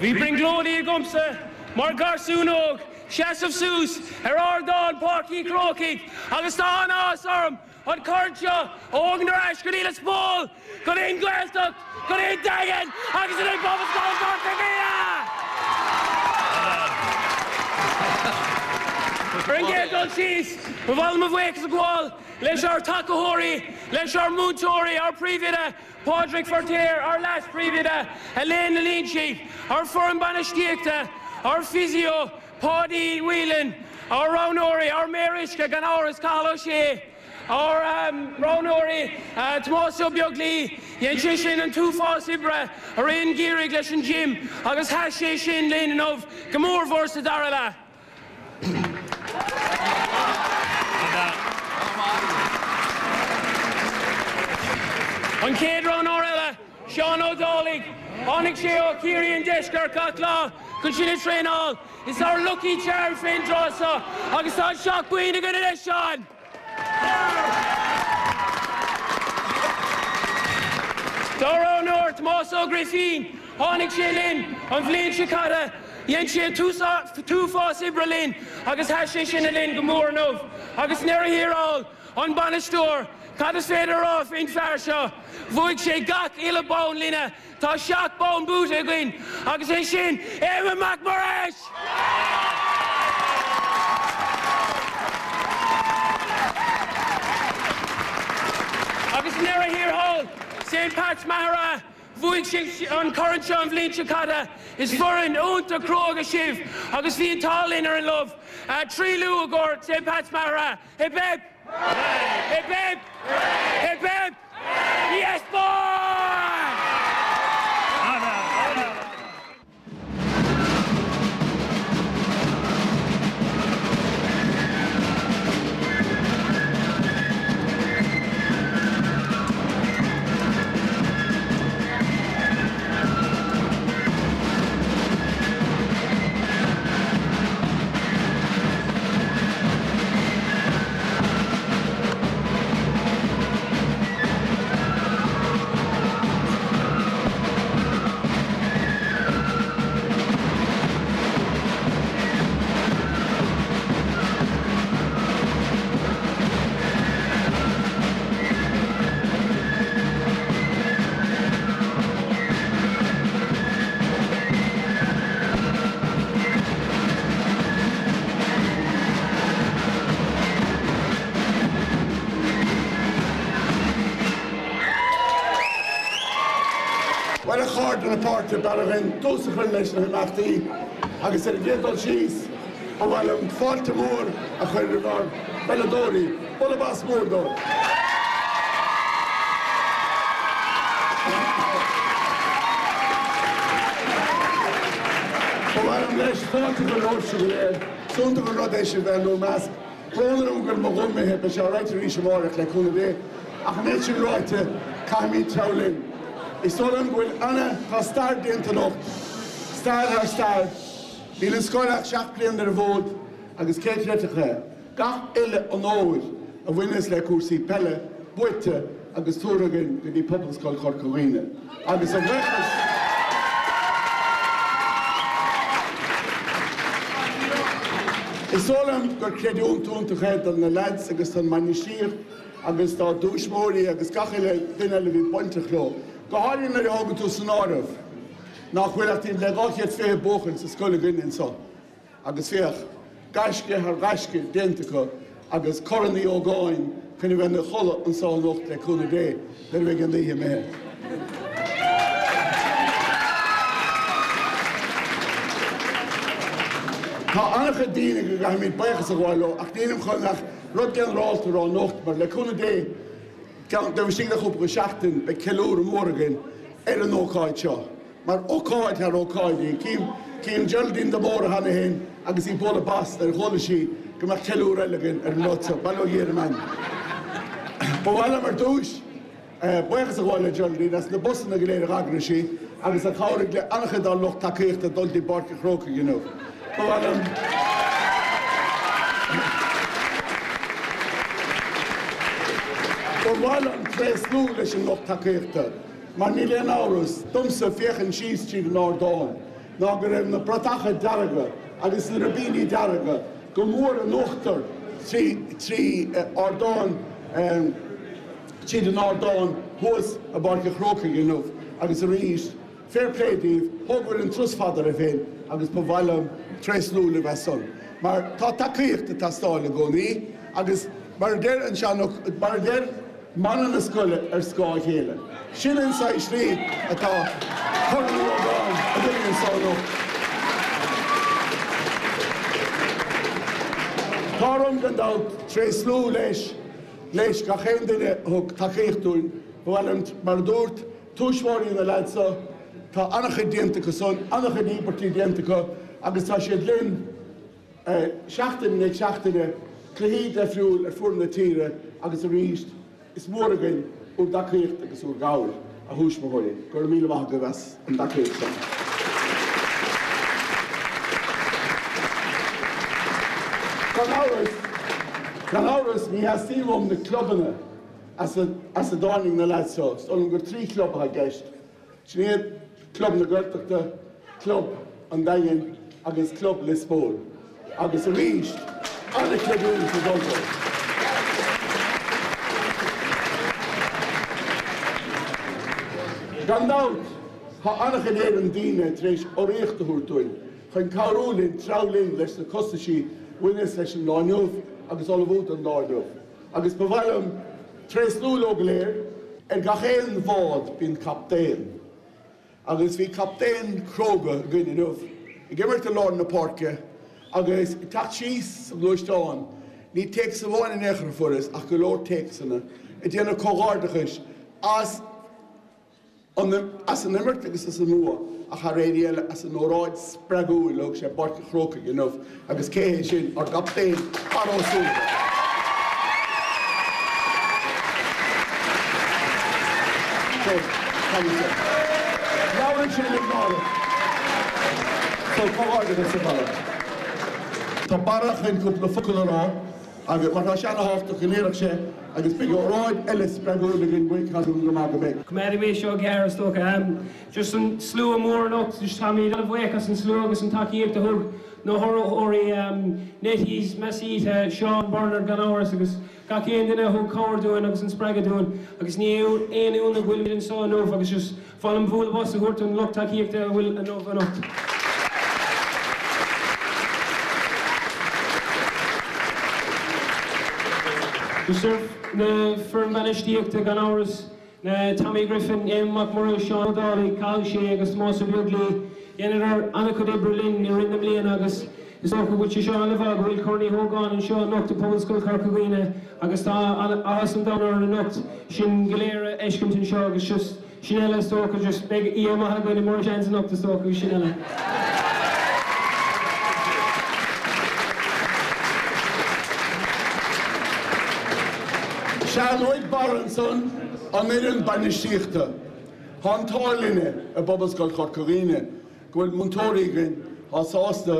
Bhí brionglóidí agamsa mar gharsún óg seasamh suas ar ardán Páirc Uí Chrócaigh agus tá an-áthas orm an corn seo a thógaint ar ais go dtí Lios Póil, go dtí an Ghaeltacht, go dtí an Daingean agus go dtí Pobalscoil Chorca Dhuibhne! Ar an gcéad dul síos, ba mhaith liom mo bhuíochas a ghabháil leis ár dtacaitheoirí, leis ár múinteoirí, ár bpríomhoide, Pádraig Feiritéar, ár leas-phríomhoide, Elaine Ní Loingsigh, ár foireann bainistíochta, ár physio, Páidí Whelan, ár roghnóirí, ár méar uisce, gan amhras, Cathal Ó Sé, ár roghnóirí, Tomás Ó Beaglaoi, dhein sé sin an t-uafás oibre i rith an gheimhridh leis an gym agus sheas sé sin linn inniu go mórmhór sa dara leath. An chéad roghnóir eile, Seán Ó Dálaigh. Tháinig sé ó Chiarraí an Deiscirt gach lá chun sinn a traenáil. Is ár lucky charm fén dtráth seo agus tá an seacht boinn againn anois, Seán! Dara roghnóir, Tomás Ó Grifín. Tháinig sé linn an bhliain seo caite. Dhein sé an t-uafás oibre linn agus sheas sé sin linn go mór inniu. Agus i ndeireadh thiar thall, an bainisteoir, cad is féidir a rá faoin fear seo? Bhuaigh sé gach uile bonn linne. Tá 7 bonn buaite againn agus é sin Éamonn Mac Muiris! Agus i ndeireadh thiar thall, St Pat's Maghera, bhuaigh sé an corn seo an bhliain seo caite. Is foireann iontach cróga sibh agus bhí an t-ádh linn ar an lubh. 3 liú i gcomhair St Pat's Maghera. Hip hip! Hip hip! Hip hip! Yes boy! Bhuel, a chairde na páirce, b'fhearr againn tús a chur leis na himeachtaí agus ar an gcéad dul síos, ba mhaith liom fáilte mhór a chur roimh ár bpeileadóirí. Bualadh bos mór dóibh! Ba mhaith liom leis fáilte a chur romhaibhse go léir. Is iontach an rud é sibh bheith inár measc. Brón orm go bhfuil mo ghuth imithe, beidh sé alright arís amárach, le cúnamh Dé. Ach an méid sin ráite, caithfimid treabhadh linn. Is dóigh liom go bhfuil ana, tá stair déanta anocht. Stair thar stair. Níl an scoil ach 7 bliana ar an bhfód agus cé chreidfeadh é? Gach uile onóir a bhaineas le cúrsaí peile buaite agus tabhartha againn go dtí Pobalscoil Chorca Dhuibhne. Agus a bhuíochas Is dóigh liom gur creidiúint iontach é do na leaids agus don mbainistíocht agus dá dtuismitheoirí agus gach uile duine eile a bhí bainteach leo, go háirithe nuair a thógann tú san áireamh nach bhfuil ach timpeall le 220 buachaill sa scoil againne anseo. Agus féach, gaisce thar ghaisce déanta acu agus Corn Uí Ógáin. chun a bheith ina chodladh anso anocht le cúnamh Dé nuair a bheidh an oíche imithe. Tá an-chuid daoine go gcaithfimid buíochas a ghabháil leo ach nílim chun ach rud ginearálta a rá anocht mar le cúnamh Dé taobh istigh de chúpla seachtain beidh ceiliúradh mór againn ar an ócáid seo. Mar ócáid thar ócáidí. Cím Geraldine de Mórdha cheana féin agus í ag bualadh bos nuair a chuala sí go mbeadh ceiliúradh eile againn ar an rud seo. Bail ó Dhia ar a meanma. Ba mhaith liom ar dtúis buíochas a ghabháil le Geraldine as na busanna go léir a dh'eagraigh sí agus a chabhraigh le an-chuid dár lucht tacaíochta dul dtí Páirc an Chrócaigh inniu. Ba mhaith liom. Ba mhaith liom tréaslú leis an lucht tacaíochta. Mar níl aon amhras, domsa, féachaint síos tríd an ardán, ná go raibh na bratacha dearga agus na ribíní dearga go mór in uachtar trí trí ardán tríd an ardán thuas i bPáirc an Chrócaigh inniu agus arís, fair play daoibh, thógabhair an turas fada oraibh féin agus ba mhaith liom tréaslú libh as san. Mar tá tacaíocht ag teastáil i gcónaí agus mar a deir an sean mar a deir. Mana na scoile ar scáth a chéile. Sin an saghas slí atá Corn Uí Ógáin againn anso anocht. Tá orm gan dabht tréaslú leis leis gach aon duine a thug tacaíocht dúinn. Ba mhaith liom, mar a dúrt tuismitheoirí na leaids seo, tá an-chuid déanta acu san, an-chuid íobairtí déanta acu agus tá siad linn. Seachtain i ndiaidh seachtaine, cluichí deifriúil ar fuaid na tíre agus arís is mór againn úr dtacaíocht agus úr gcabhair, a thuismitheoirí. Go raibh míle maith agaibh as an dtacaíocht san. Gan amhras, gan amhras ní theastaíonn uaim na clubanna as a as a dtáinig na leaids seo. Is dóigh liom gur 3 chlub atá i gceist. Sin iad Club na Gaeltachta, Club an Daingin agus Club Lios Póil. Agus arís, an-chreidiúint ag dul dóibh. Gan dabht, tá an-chuid Éireann daoine tar éis urraíocht a thabhairt dúinn chun cabhrú linn treabhadh linn leis na costaisí a bhaineas leis an lá inniu agus ullmhú don lá inniu. Agus ba mhaith liom tréaslú leo go léir. Ar gach aon bhád bíonn captaen. Agus bhí captaen cróga againn inniu, ag imirt i lár na páirce agus ag teacht síos sa ghluaisteán, ní téacs amháin in aon chor a fuaireas ach go leor téacsanna, ag déanamh comhghairdeachais as. as an imirt agus as an mbua ach thar aon ní eile as an óráid spreagúil a thug sé i bPáirc an Chrócaigh inniu agus cé hé sin? Ár gcaptaen, Barra Ó Súilleabháin. So, tá sé. Labhrann sé le náire. So, comhghairdeachas a Bharra. Tá Barra chun cúpla focal a rá. Agus mar tá sé ana-thábhachtach go ndéarfadh sé, agus beidh óráid eile spreagúil againn uaidh, tá súil agam go maith go mbeidh. Coimeádfaidh mé seo gearr is dócha. Just an slua mór anocht, just táimid an-bhuíoch as an slua agus an tacaíocht a thug na hurraitheoirí, Nettie's, Masita, Seán, Bernard gan amhras agus gach aon duine a thug cabhair dúinn agus an spreagadh dúinn agus ní aon ionadh go bhfuilimid anseo inniu agus just Ba mhaith liom bualadh bos a thabhairt don lucht tacaíochta a bhfuil inniu anocht. Just ar na foireann bainistíochta gan amhras, na Tommy Griffin, Éamonn Mac Muiris, Seán Ó Dálaigh, Cathal Shea agus Tomás Ó Beaglaoi. Dheineadar an-chuid oibre linn i rith na mbliana agus is dócha go bhfuil sé seo le fáth go bhfuil Corn Uí Hógáin anseo anocht i Pobalscoil Chorca Dhuibhne agus tá áthas an domhain orainn anocht sin go léir a fheiscint anseo agus just Sin eile is dócha, just beidh oíche maith againn i Murray Shans anocht is dócha agus sin eile. Sea, luaigh Barra ansan an fhoireann bainistíochta. Tá an t-ádh linne i bPobalscoil Chorca Dhuibhne go bhfuil múinteoirí againn atá sásta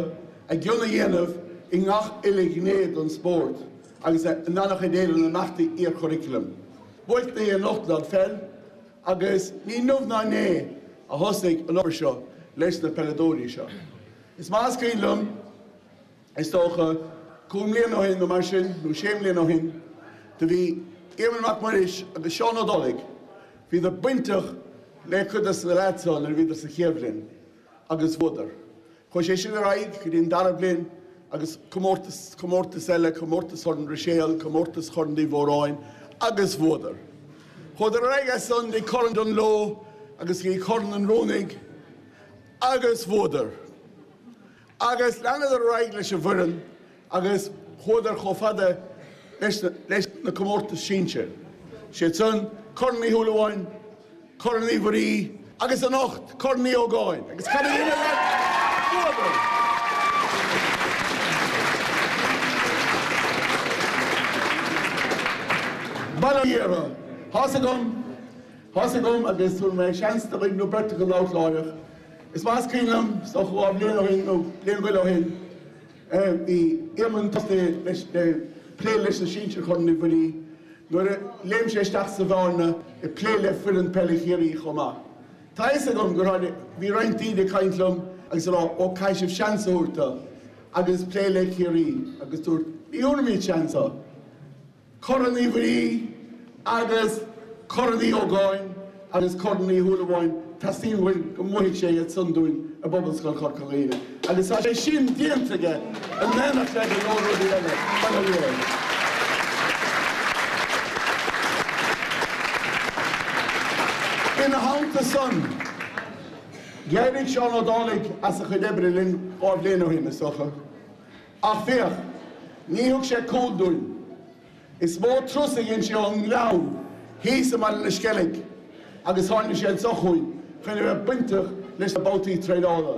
a gcion a dhéanamh i ngach uile ghné den spórt agus in an-chuid de na himeachtaí iarchuraclaim. Buaic na anocht ná an pheil agus ní inniu ná inné a thosaigh an obair seo leis na peileadóirí seo. Is maith is cuimhin liom, is dócha, cúig mbliana ó shin nó mar sin, nó sé mbliana ó shin, do bhí Éamonn Mac Muiris agus Seán Ó Dálaigh, bhíodar bainteach le cuid de na leaids seo nuair a bhíodar sa chéad bhliain agus bhuadar. Chuaigh sé sin ar aghaidh go dtí an dara bliain. agus comórtas, comórtas eile, comórtas Chorn Ruiséal, comórtas Chorn Uí Mhóráin agus bhuadar. Chuadar ar aghaidh as san dtí Corn Dungloe agus go dtí Corn an Rúnaigh agus bhuadar. Agus leanadar ar aghaidh leis an bhfoireann agus chuadar chomh fada leis leis na comórtais sinsir. Siad san, Corn Uí Shúilleabháin, Corn Uí Mhuirí agus anocht Corn Uí Ógáin. Agus cad a dhein na leaids? Bhuadar! Bail ó Dhia orthu. Tá's agam, tá's agam agus tabharfaidh mé seans do dhuine nó beirt acu labhairt láithreach. Is maith is cuimhin liom, is dócha 2 bhliain ó shin nó bliain go leith ó shin, bhí Éamonn tosaithe leis le plé leis na sinsir Chorn Uí Mhuirí nuair a léim sé isteach sa bhearna ag plé le foireann peile Chiarraí chomh maith. Tá a fhios agam gur tháinig, bhí roinnt daoine ag caint liom agus ag rá ó caithfidh sibh seans a thabhairt dó agus plé le Ciarraí agus dúirt ní thabharfaimid seans dó. Corn Uí Mhuirí agus Corn Uí Ógáin agus Corn Uí Shúilleabháin, teastaíonn uainn go mbuafaidh sé iad san dúinn i bPobalscoil Chorca Dhuibhne agus tá sé sin déanta aige in éineacht le go leor rudaí eile. Bail ó Dhia air. Ina theannta san, d'éirigh Seán Ó Dálaigh as a chuid oibre linn 2 bhliain ó shin, is dócha. Ach féach, ní thug sé cúl dúinn. Is mó turas a dhein sé ón nGleann thíos i mBaile na Sceilg agus tháinig sé anso chugainn chun a bheith bainteach leis na babhtaí traenála.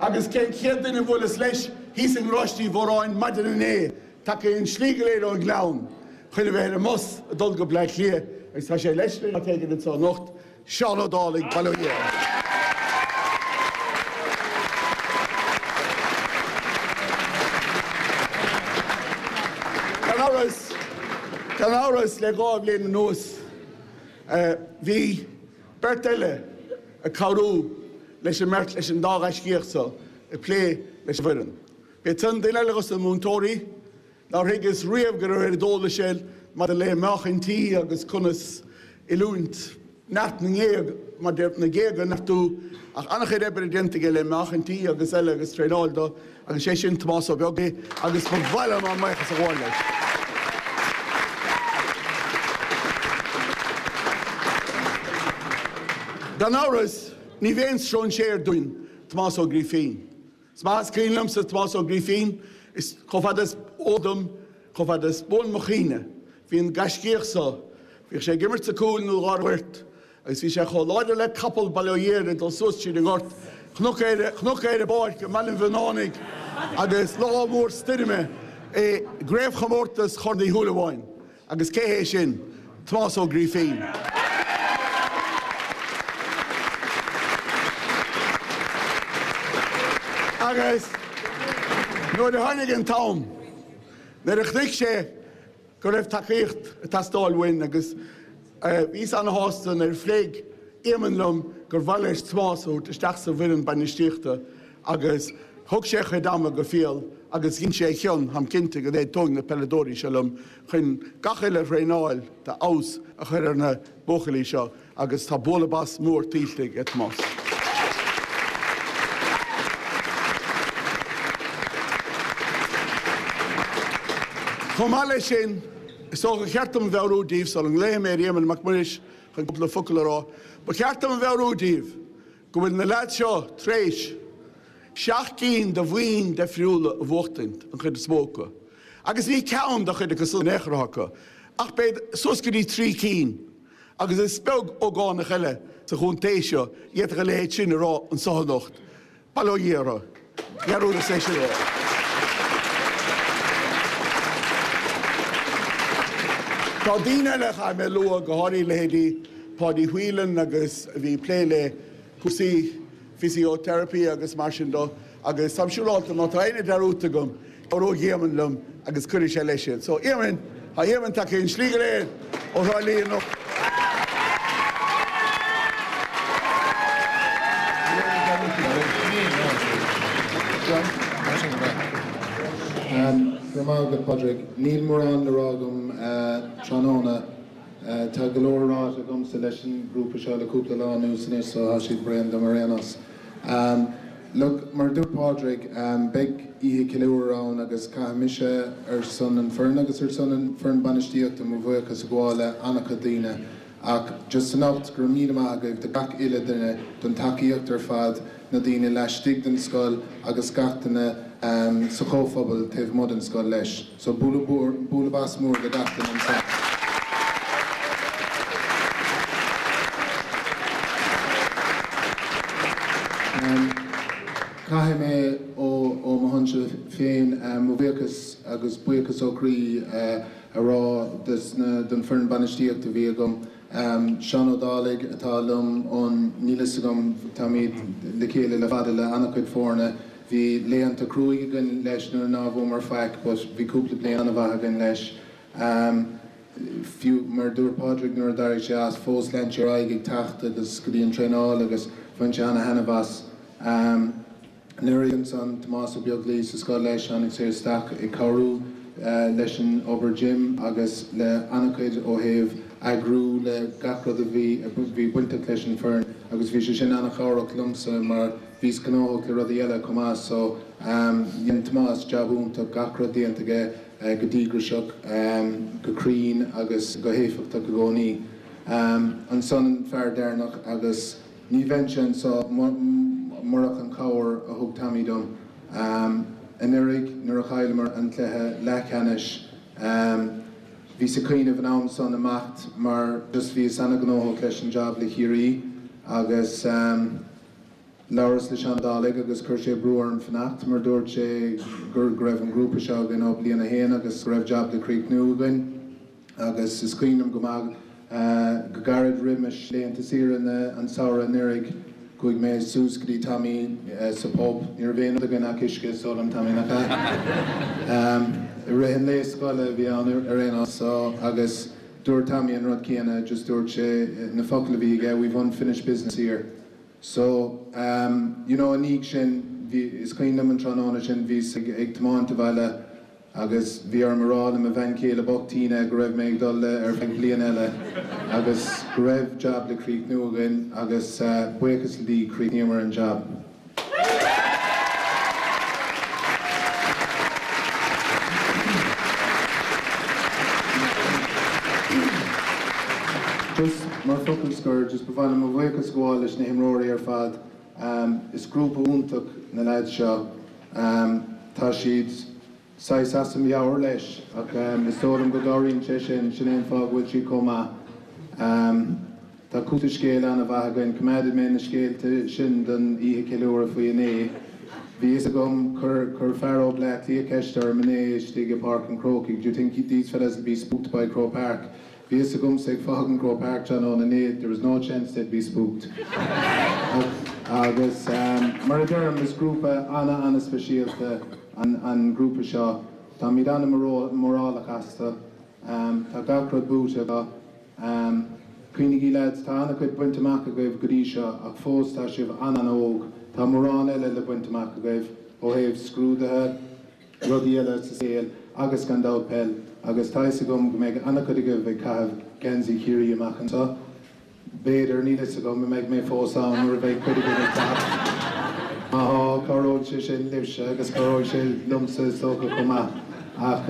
Agus cén chéad duine a bhuaileas leis thíos i nGaráiste Uí Mhóráin maidin inné, tagtha an slí go léir ón nGleann chun a bheith ar an mbus ag dul go Bleá Cliath agus tá sé leis linn áit éigin anso anocht, Seán Ó Dálaigh, Bail ó Dhia air. Gan amhras, gan amhras, le 2 bhliain anuas, bhí beirt eile ag cabhrú leis an mbeirt, leis an dá ghaiscíoch so, ag plé leis an bhfoireann. B'iad san duine eile dos na múinteoirí, Nár thuigeas riamh go raibh oiread eolais air maidir le meáchain tí agus conas oiliúint neart na ngéag, maidir na géaga a neartú, ach an-chuid oibre déanta aige le meáchain tí agus eile agus traenáil do, agus sé sin Tomás Ó Beaglaoich agus ba mhaith liom ár mbuíochas a ghabháil leis. Gan amhras, ní b'aon stróinséir dúinn Tomás Ó Grífín. Is maith is cuimhin liomsa Tomás Ó Grífín, is chomh fada is eol dom, chomh fada is buan mo chuimhne, bhí an gaiscíoch so, bhíodh sé ag imirt sa gcúl nó lár an ghoirt, agus bhí sé chomh láidir le capall, bail ó Dhia air, ag dul suas tríd an ngort, chonac é, chonac é ar an bpáirc i mBaile an Mhionnánaigh agus lá mór stoirme i gcraobhchomórtas Chorn Uí Shúilleabháin. Agus cé hé sin? Tomás Ó Grífín. Agus nuair a tháinig an t-am, nuair a chonaic sé go raibh tacaíocht ag teastáil uainn agus bhíos ana-shásta nuair a phléigh Éamonn liom gur mhaith leis Tomás a thabhairt isteach sa bhfoireann bainistíochta agus thug sé a chuid ama go fial agus dhein sé a chion, táim cinnte go n-aontóidh na peileadóirí seo liom, chun gach uile thraenáil d'fheabhas a chur ar na buachaillí seo agus tá bualadh bos mór tuillte ag Tomás. Chomh maith leis sin, is dócha gur cheart dom a mheabhrú daoibh sula nglaofaidh mé ar Éamonn Mac Muiris chun cúpla focal a rá, ba cheart dom a mheabhrú daoibh go bhfuil na leaids seo tar éis 7 gcinn de bhoinn difriúla a bhuachtaint, an chuid is mó acu. Agus ní ceann de chuid acu san in aon chor acu, ach b'fhéidir suas go dtí 3 cinn. Agus is beag ógánach eile sa chontae seo a d'fhéadfadh a leithéid sin a rá anso anocht. Bail ó Dhia orthu. Dhearúdas é sin a rá. Tá daoine eile a chaithfidh mé a lua, go háirithe leithéidí Páidí Whelan agus a bhí ag plé le cúrsaí physiotherapy agus mar sin de agus táim siúráilte má tá éinne dearúdta agam, cabhróidh Éamonn liom agus cuirfidh sé leis iad. So, Éamonn, tá Éamonn tagtha an slí go léir ó Thrá Lí anocht. Go raibh maith agat, Padraig. Níl mórán le rá agam tráthnóna. Tá go leor ráite agamsa leis an ngrúpa seo le cúpla lá anuas anois so tá siad bréan dom ar aon nós. Look, mar a dúirt Pádraig, beidh oíche ceiliúradh ann agus caithfidh mise ar son an foireann agus ar son an foireann bainistíochta mo bhuíochas a ghabháil le an-chuid daoine ach just anocht go raibh míle maith agaibh do gach uile duine don tacaíocht ar fad, na daoine laistigh den scoil agus gach duine sa chomhphobal taobh amuigh den scoil leis. So bualadh bos mór do gach duine anseo. Caithfidh mé ó mo shonsa féin mo bhuíochas agus buíochas ó chroí a rá don foireann bainistíochta a bhí agam. Seán Ó Dálaigh atá liom ón, níl fhios agam, táimid le chéile le fada le an-chuid foirne. Bhí laethanta cruaidh againn leis nuair ná bhuamar faic but bhí cúpla bliain an-mhaith againn leis. Fiú mar a dúirt Pádraig nuair a d'éirigh sé as, fós lean sé ar aghaidh ag teacht agus go dtí an traenáil agus bhain sé an-thaitneamh as. Anuraidh ansan Tomás Ó Beaglaoi sa scoil leis, tháinig sé isteach ag cabhrú leis an obair gym agus le an-chuid ó thaobh eagrú le gach rud a bhí a bhí bainteach leis an foireann agus bhí sé sin an-chabhrach liomsa mar Bhíos gnóthach le rudaí eile chomh maith so dhein Tomás jab iontach, gach rud déanta aige go díograiseach, go cruinn agus go héifeachtach i gcónaí. Ansan an fear deireanach agus ní bheinnse anso murach an chabhair a thug Tommy dom. Anuraidh nuair a chailleamar an cluiche leathcheannais bhíos ag cuimhneamh an am san imeacht mar just bhíos ana-ghnóthach leis an jab le Ciarraí agus. Labhras le Seán Ó Dálaigh agus chuir sé brú orm fanacht mar dúirt sé go raibh an grúpa seo againn ó bliain a haon agus go raibh jab le críochnú againn agus is cuimhin liom go maith go gairid roimis laethanta saoire an samhradh anuraidh chuaigh mé suas go dtí Tommy sa pub, ní raibh aon rud againn ach uisce is dóigh liom Tommy nach ea? I rith an lae scoile a bhí ann ar aon nós so agus dúirt Tommy an rud céanna just dúirt sé na focail a bhí aige we've unfinished business here. So, you know, i ndiaidh sin, bhí, is cuimhin liom an tráthnóna sin, bhíos ag, ag tiomáint abhaile agus bhí orm a rá le mo bhean chéile bocht Tina go raibh mé ag dul le ar feadh bliain eile agus go raibh jab le críochnú againn agus buíochas le Dia chríochnaíomar an jab. Just mar focal scoir, just ba mhaith liom mo bhuíochas a ghabháil leis na himreoirí ar fad. Is grúpa iontach na leaids seo. Tá siad saghas as a meabhair leis ach is dóigh liom go gcabhraíonn sé sin, sin é an fáth go bhfuil siad chomh maith. Tá cúpla scéal an-mhaith againn. Coimeádfaidh mé na scéalta sin don oíche ceiliúradh faoi inné. Bhí fhios agam, chuir, chuir fear ó Bleá Cliath ceist orm inné istigh i Páirc an Chrócaigh, do you think these fellas will be spooked by Croke Park? Bhí fhios agamsa ag fágaint Croke Park tráthnóna inné, there was no chance they'd be spooked. Agus mar a deirim, is grúpa ana-ana-speisialta an grúpa seo. Táimid ana-mhórálach astu. Tá gach rud buaite acu. Cuimhnigí lads, tá an-chuid bainte amach agaibh go dtí seo ach fós tá sibh an-an-óg. Tá mórán eile le baint amach agaibh, ó thaobh scrúduithe, rudaí eile sa saol agus gan dabht peil agus tá fhios agam go mbeidh an-chuid agaibh ag caitheamh geansaí Chiarraí amach anseo. B'fhéidir, níl fhios agam, an mbeidh mé fós ann nuair a bheidh cuid agaibh ag teacht. Má thá, cabhróidh sé sin libhse agus cabhróidh sé liomsa is dócha chomh maith. Ach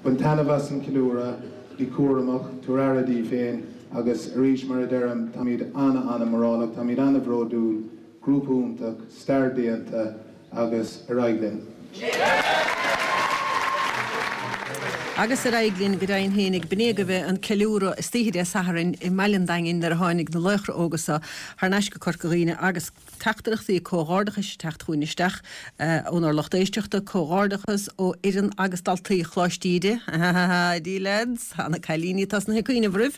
bain taitneamh as an cheiliúradh, bí cúramach, tabhair aire daoibh féin agus arís mar a deirim, táimid ana-ana-mhórálach, táimid ana-bhródúil. Grúpa iontach, stair déanta agus ar aghaidh linn. Agus ar aghaidh linn go deimhin fhéinig, b'in é agaibh an ceiliúradh istoíche Dé Sathairn i mbaile an Daingin nuair a tháinig na laochra óga so thar n-ais go Corca Dhuibhne agus teachtaireachtaí comhghairdeachais ag teacht chugainn isteach ónár lucht éisteachta, comhghairdeachas ó fhoireann agus daltaí Choláiste Íde, ha ha ha lads! Tá na cailíní tosnaithe ag cuimhneamh oraibh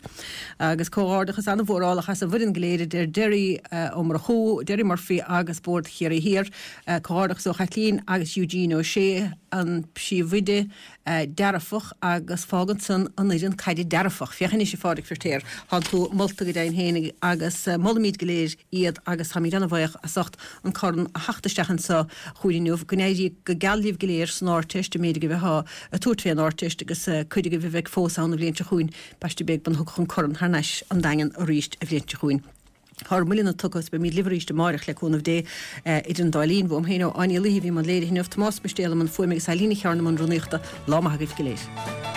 agus comhghairdeachas an-mhórálach as an bhfoireann go léir a deir Derry Ó Murchú, Derry Murphy agus Bord Chiarraí Thiar. Comhghairdeachas ó Chaitlín agus Eugene Ó Sé, an príomhoide dearfach agus fágann san an fhoireann caide dearfach. Féach anois a Phádraig Firtéar, tánn tú molta go deimhin féin agus molaimid go léir iad agus táimid an-bhaoch as ucht an corn a theacht isteach anso chugainn inniu. Go n-éirí go geal libh go léir san Ardteist, an méid agaibh athá ag tabhairt fén Ardteist agus cuid agaibh a bheidh fós ann an bhliain seo chugainn, b'aisteach beag muna dtiocfadh an corn thar n-ais an Daingean arís an bhliain seo chugainn. Tá ár mbuille tugtha is beimid libh arís amáireach le cúnamh Dé. Idir an dá linn, uaim féin ó Áine Ní Laoi a bhí i mbun léirithe inniu, Tomás Mistéal i mbun fuaime agus Eileen Ní Chearna i mbun rúnaíochta. Lá maith agaibh go léir.